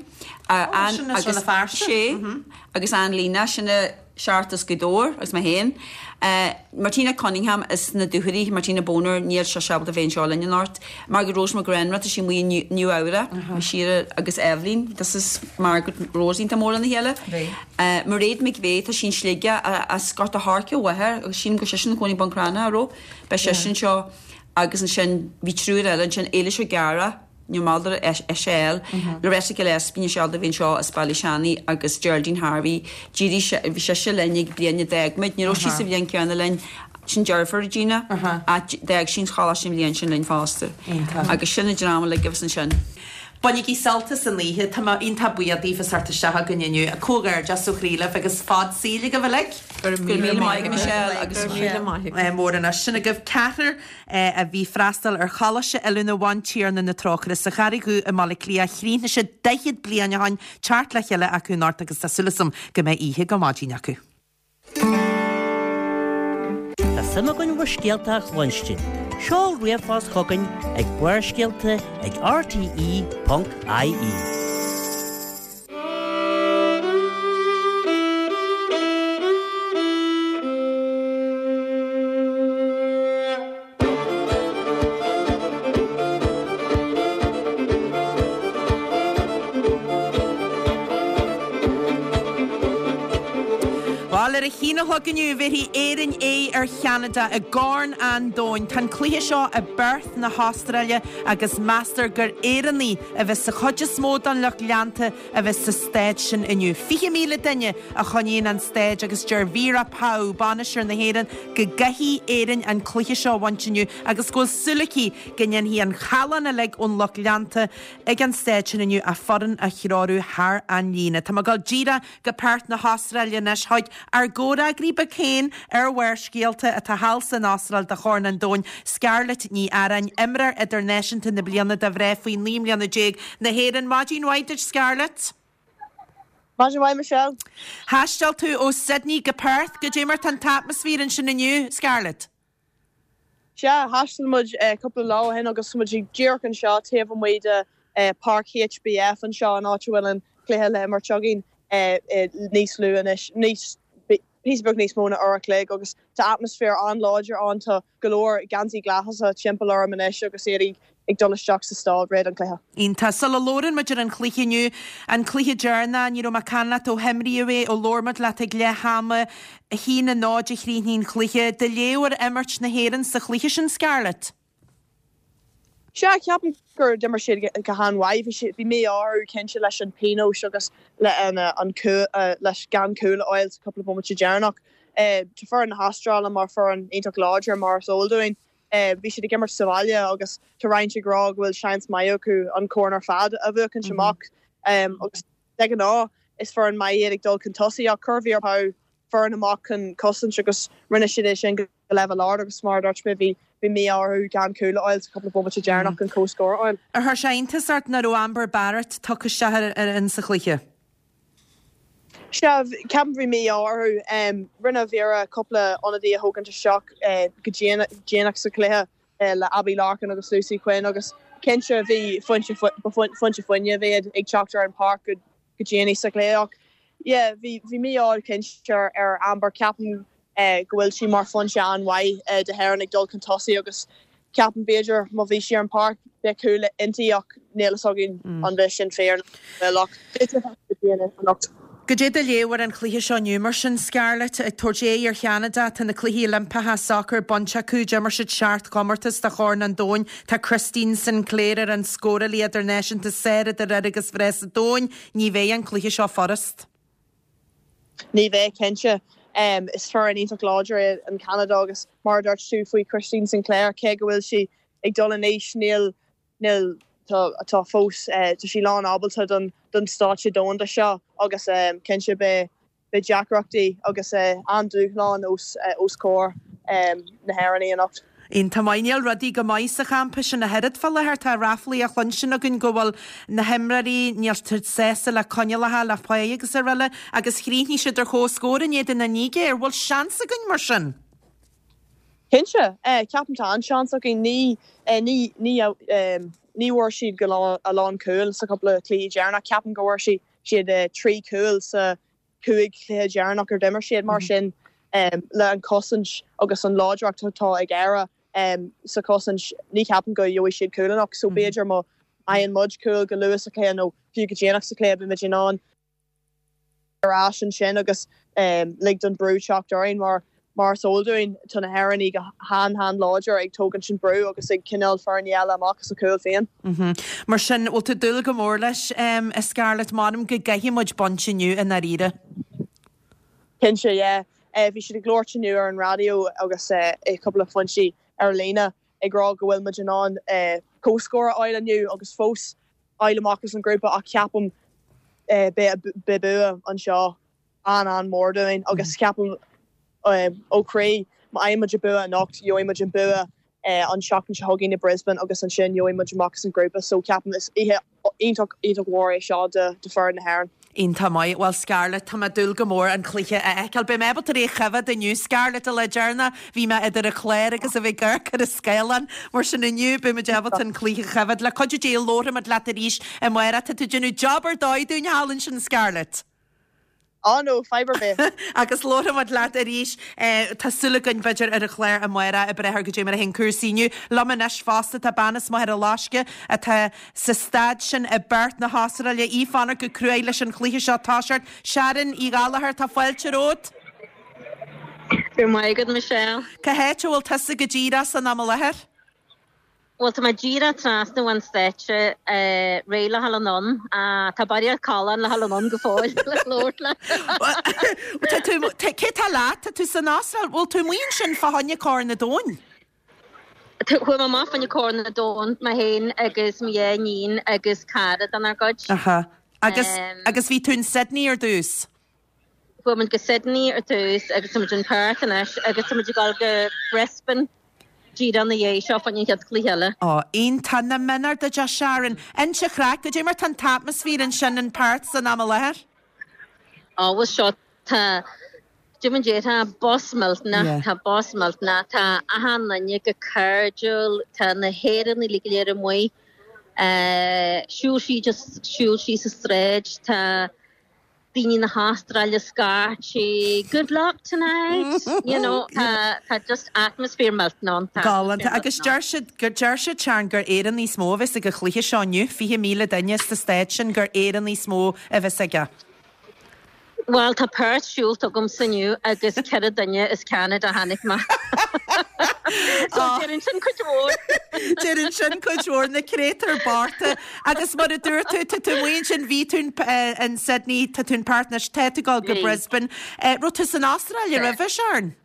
Ó, sin as agus Rann na Feirste. sé agus Ann Lena, sin a seacht as Gaoth Dobhair agus mé féin. Martina Cunningham as na Dúchoraidh, Martina Boner, níl sise ábalta bheith anseo linn anocht. Margaret Rose McGrenra, tá sí amuigh i Nua Eabhrac, Síra agus Eibhlín, this is Margaret Rose iontach mór lena chéile. Mairéad McVeigh, tá sí in Sligeach as Gort a' Choirce a mháthair agus sílim go bhfuil sise ina cónaí i mBun Cranncha, an raibh? Beidh sise anseo agus ansin bhí triúr eile ansin, Éilis O'Gara, Ní maith leis SL, Loretta Gillespie, níl sí ábalta a bheith anseo as Baile Seanaidh agus Geraldine Harvey. D'éirigh, bhí sise linn ag bliain a d'fhág muid, ní raibh sí sa bhliain céanna linn, Sin deirfiúr Gina ach d'fhág sí an choláiste an bhliain sin linn fosta. Agus sin an dream uilig a bhí ansin. Bainigí sult as an oíche. Tá mé iontach buíoch daoibh as theacht isteach chugainn inniu. Comhghairdeas ó chroí libh agus fad saoil agaibh uilig. Go raibh míle maith agat Michelle agus Go raibh míle maith agat. Mór anois. Sin agaibh ceathrar a bhí ag freastal ar Choláiste Oiliúna Bhantiarna na Trócaire sa Charraig Dhubh i mBaile Átha Cliath. Chríochnaigh siad daichead bliain ó shin, teacht le chéile acu anocht agus tá súil agam go mbeidh oíche go maidin acu. Tá suim againn bhur scéalta a chluinstin. Seol ríomhphost chugainn ag Barrscéalta ag rte ponc ie. Bhuel, ar a haon a chlog inniu, bhéarfaidh Éirinn aghaidh ar Cheanada i gCorn an Domhain. Tá an cluiche seo i bPerth na hAstráile agus meastar gur Éireannaigh a bheas sa chuid is mó den lucht leanta a bheas sa staid sin inniu. Fiche míle duine a choinníonn an staid agus deir Vera Pauw, bainisteoir na hÉireann, go gcaithfidh Éirinn an cluiche seo a bhaint inniu agus go bhfuil súil aici go ndéanfaidh an callán uilig ón lucht leanta ag an staid sin inniu a foireann a threorú thar an líne. Tá mé ag dul díreach go Perth na hAstráile anois chuig ár gcomhfhreagraí beag féin ar Bharrscéalta atá thall san Astráil do Chorn an Domhain, Scarlett Ní Arráin, imreoir idirnáisiúnta na bliana do mhná faoi naoi mbliana déag na hÉireann. Maidin mhaith duit, Scarlett. Maidin mhaith, Michelle. Thaistil tú ó Sydney go Perth. Goidé mar tá an t-atmaisféar ansin inniu, Scarlett? Sea, thaistil muid cúpla lá ó shin agus tá muid díreach anseo taobh amuigh de Páirc HBF anseo, an áit a bhfuil an cluiche le himirt againn níos lú anois, níos, píosa beag níos mó ná uair a chloig agus tá atmaisféar an-láidir ann, tá go leor geansaí glasa timpeall orm anois agus iad ag dul isteach sa staid roimh an cluiche. Iontach. Sula labhrann muid ar an chluiche inniu, an cluiche deireanach, ní raibh mé ag caint leat ó himríodh é, ó labhair muid leat ag leath ama, a haon a náid a chríochnaigh an cluiche. Do léamh ar imirt na hÉireann sa chluiche sin, Scarlett? Sea, ceapaim gur d'imir siad go han-mhaith. Bhí siad, bhí mí-ádh orthu cinnte leis an pionós agus le an cúl, leis gan cúl a fháil sa cúpla bomaite deireanach. Tá foireann na hAstráile mar foireann iontach láidir mar is eol dúinn. Bhí siad ag imirt sa bhaile agus tá roinnt ag rá go bhfuil seans maith acu an corn ar fad a bhuachaint amach agus de ghnáth is foireann maith iad ag dul chun tosaigh ach chuir Vera Pauw foireann amach chun cosaint agus rinne siad é sin go leibhéal ard agus mar a dúirt mé bhí bhí mí-ádh orthu gan cúl a fháil sa chúpla bomaite deireanach an comhscór a fháil. Ar chuir sé iontas ort nach raibh Amber Barrett tugtha isteach ar in sa chluiche? Sea, ceapaim bhí mí-ádh orthu. Rinne Vera cúpla ionadaí a thógaint isteach go déanach sa chluiche le Abbie Larkin agus Lucy Quinn agus cinnte bhí foinse foinse fuinnimh iad ag teacht ar an pháirc go go déanaí sa chluiche ach yeah bhí bhí mí-ádh cinnte ar Amber. Ceapaim go bhfuil sí mar foinse an-mhaith do hÉirinn ag dul chun tosaigh agus ceapaim b'fhéidir má bhí sí ar an páirc bheadh cúl inti ach níl fhios againn an bhfuil sin fíor nó nach bhfuil ach beidh sé anocht. Goidé do léamh ar an chluiche seo inniu mar sin, Scarlett? Ag tabhairt aghaidh ar Cheanada, tá na Cluichí Oilimpeacha Sacair bainte acu, d'imir siad seacht gcomórtas de Chorn an Domhain, tá Christine Sinclair ar an scórálaí idirnáisiúnta is fearr idir fhir agus mhná sa domhan. Ní bheidh an cluiche seo furast. Ní bheidh, cinnte. Is foireann iontach láidir é an Ceanada agus mar a dúirt tú faoi Christine Sinclair, cé go bhfuil sí ag dul in aois, níl, níl, tá, tá fós, tá sí lán ábalta don, don stáitse domhanda seo agus cinnte beidh, beidh deacrachtaí agus an-dúshlán os, os comhair na hÉireannaí anocht. Iontach maith. Níl rudaí go maith sa champa sin ach oiread fá láthair. Tá ráflaí á chluinstin againn go bhfuil na himreoirí, níl siad sásta le coinníollacha, le pá agus araile agus chríochnaigh siad ar comhscór in éadan na Nigéir. Bhfuil seans againn mar sin? Cinnte. Ceapaim tá an-seans againn. Ní, ní, ní, ní bhfuair siad go a lán cúil sa chúpla cluiche deireanach. Ceapaim go bhfuair siad trí chúl sa cúig chluiche deireanach ar d'imir siad. Mar sin, le an chosaint agus an láidreacht atá ag Éire sa chosaint, ní cheapaim go gheobhaidh siad cúl anocht. So b'fhéidir má fhaigheann muid cúl go luath sa chluiche nó fiú go déanach sa chluiche, beimid in ann ar ais ansin agus lig don brú teacht orainn mar mar is eol dúinn tá na hÉireannaigh go han-han-láidir ag tógaint an brú agus ag coinneáil foirne eile amach as a gcúl féin. Mar sin, bhfuil tú ag dúil go mór leis, a Scarlett? M'anam go gcaithfidh muid baint inniu i ndáiríre. Cinnte, yeah. Bhí siad ag labhairt inniu ar an raidió agus i cúpla foinsí ar líne ag rá go bhfuil muid in ann comhscór a fháil inniu agus fós fháil amach as an ngrúpa ach ceapaim beidh bua anseo an-an-mhór dúinn agus ceapaim ó chroí má fhaigheann muid an bua anocht gheobhaidh muid an bua an tseachtain seo chugainn i Brisbane agus ansin gheobhaidh muid amach as an ngrúpa so ceapaim is oíche iontach iontach mhór é seo do do foireann na hÉireann. Iontach maith. Bhuel Scarlett, tá mé ag dúil go mór an cluiche a fheiceáil. Beidh mé ábalta é a choimhéad inniu Scarlett, an lá deireanach bhí mé idir an chlár agus a bheith ag amharc ar an scáileán. Mar sin inniu beidh muid ábalta an cluiche a choimhéad. Le cuidiú Dé labharfaidh muid leat arís amárach. Tá tú ag déanamh job ar dóigh dúinn thall ansin Scarlett. Á no, fadhb ar bith. Agus labharfaidh muid leat arís, tá súil againn, b'fhéidir, ar an chlár amárach ag breith ar goidé mar a théann cúrsaí inniu. Liom anois fosta tá bean as Machaire Loiscthe atá sa staid sin i bPerth na hAstráile, í ag fanacht go cruaidh leis an chluiche seo toiseacht. Sharon Uí Ghallchóir, tá fáilte romhat. Go raibh maith agat, Michelle. Cá háit a bhfuil tusa go díreach san am i láthair? Bhuel, tá mé díreach trasna ón stáitse, réidh le dhul anonn. Tá barraíocht callán le dhul anonn go fóill le labhairt leat. Tá tú, cé tá leat? Tá tú san Astráil, bhfuil tú amuigh ansin fá choinne Corn an Domhain? Chuaigh mé amach fá choinne Corn an Domhain, mé féin agus mo dhá iníon agus cara denár gcuid. Aha. Agus, agus bhí tú in Sydney ar dtús? Chuaigh muid go Sydney ar dtús agus tá muid in Perth anois agus tá muid ag dul go Brisbane. Díreach ina dhiaidh seo fá choinne an chéad chluiche eile. Ó, iontach, nach méanar duit a Sharon. Inis an chraic, goidé mar tá an t-atmaisféar ansin in Perth san am i láthair? Ó, bhuel seo, tá, goidé mar a déarfá, buzz millteanach, tá buzz millteanach, tá achan duine go cairdiúil, tá na hÉireannaigh uilig go léir amuigh, siúl síos, just siúl síos an tsráid, tá, daoine na hAstráile scaití, good luck tonight, you know, tá tá just atmosphere millteanach ann, tá Galánta. Agus deir siad, gur deir siad, Sharon, gur Éireannaigh is mó a bheas ag an chluiche seo inniu, fiche míle duine sa staid sin, gur Éireannaigh is mó a bheas aige. Bhuel, tá Perth siúlta agamsa inniu agus ceithre duine as Ceanada a chonaic mé. So deireann sin cuid mhór. Deireann sin cuid mhór, na créatúir bochta. Agus mar a dúirt tú, tá tú amuigh ansin, bhí tú in Sydney, tá tú in Perth anois, tá tú ag dul go Brisbane. Raibh tú san Astráil roimhe, Sharon?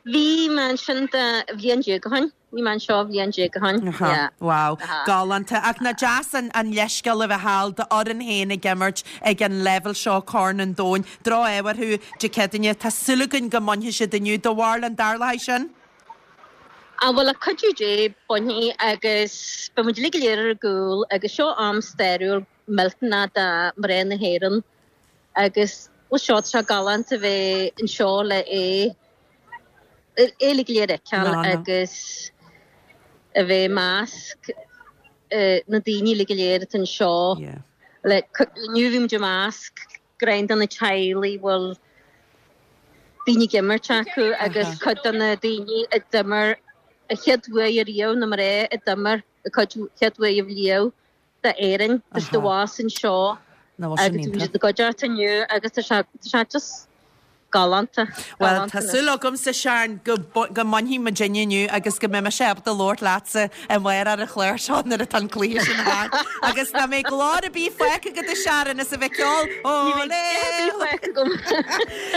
Bhí mé ansin do bhliain déag ó shin. Bhí mé anseo bhliain déag ó shin. Aha, wow, galánta. Ach nach deas an an leithscéal a bheith thall d'fhoireann féin ag imirt ag an leibhéal seo, Corn an Domhain. Droch-ádh orthu Dé Céadaoine. Tá súil againn go mbainfidh siad inniu. Do bharúil an dtarlóidh sin? Á bhuel, le cuidiú Dé, bainfidh agus beidh muid uilig go léir ar ár gcúl agus seo am stairiúil millteanach do mhná na hÉireann agus bhuel seo, tá sé galánta bheith anseo le é. é uilig go léir a fheiceáil agus a bheith i measc na daoine uilig go léir atá anseo. Like, inniu bhí muid i measc greim de na teaghlaigh bhfuil daoine ag imirt acu agus cuid de na daoine a d'imir a chéad uair ariamh, na mná a d'imir a cuid chéad uair ariamh d'Éirinn, tá siad abhus anseo agus bhí siad ina gcuideachta inniu agus tá sé tá sé just galánta. Bhuel, tá súil agamsa, Sharon, go go mbainfidh muidinne inniu agus go mbeidh mise ábalta labhairt leatsa amárach ar an chlár seo nuair atá an cluiche sin thart. Agus nach mbeidh glór ar bith fágtha agat a Sharon is a bheith ceol Olé!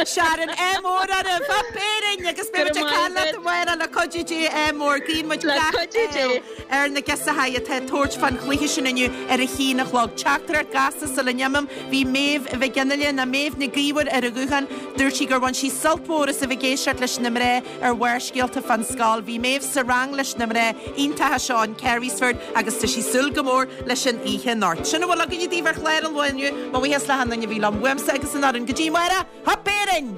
Sharon, ádh mór oraibh! Up Éirinn! Agus beidh muid ag caint leat amárach le cuidiú Dé, ádh mór. Guíonn muid gach ádh ar na girseachaí atá ag tabhairt fán chluiche sin inniu ar a haon a chlog. Teachtaireacht gasta sula n-imím, bhí Méabh Mhic Fhionnghaile, nó Méabh Nic Íomhair ar an ghuthán. Dúirt sí gur bhain sí sult mhór as a bheith ag éisteacht leis na mná ar Bharrscéalta fán scoil. Bhí Méabh sa rang leis na mná iontacha seo in Carysford agus tá sí ag súil go mór leis an oíche anocht. Sin a bhfuil againne daoibh ar chlár an lae inniu. Mo bhuíochas le achan duine a bhí liom, uaimse agus an fhoireann. Go dtí amárach, Hup Éirinn!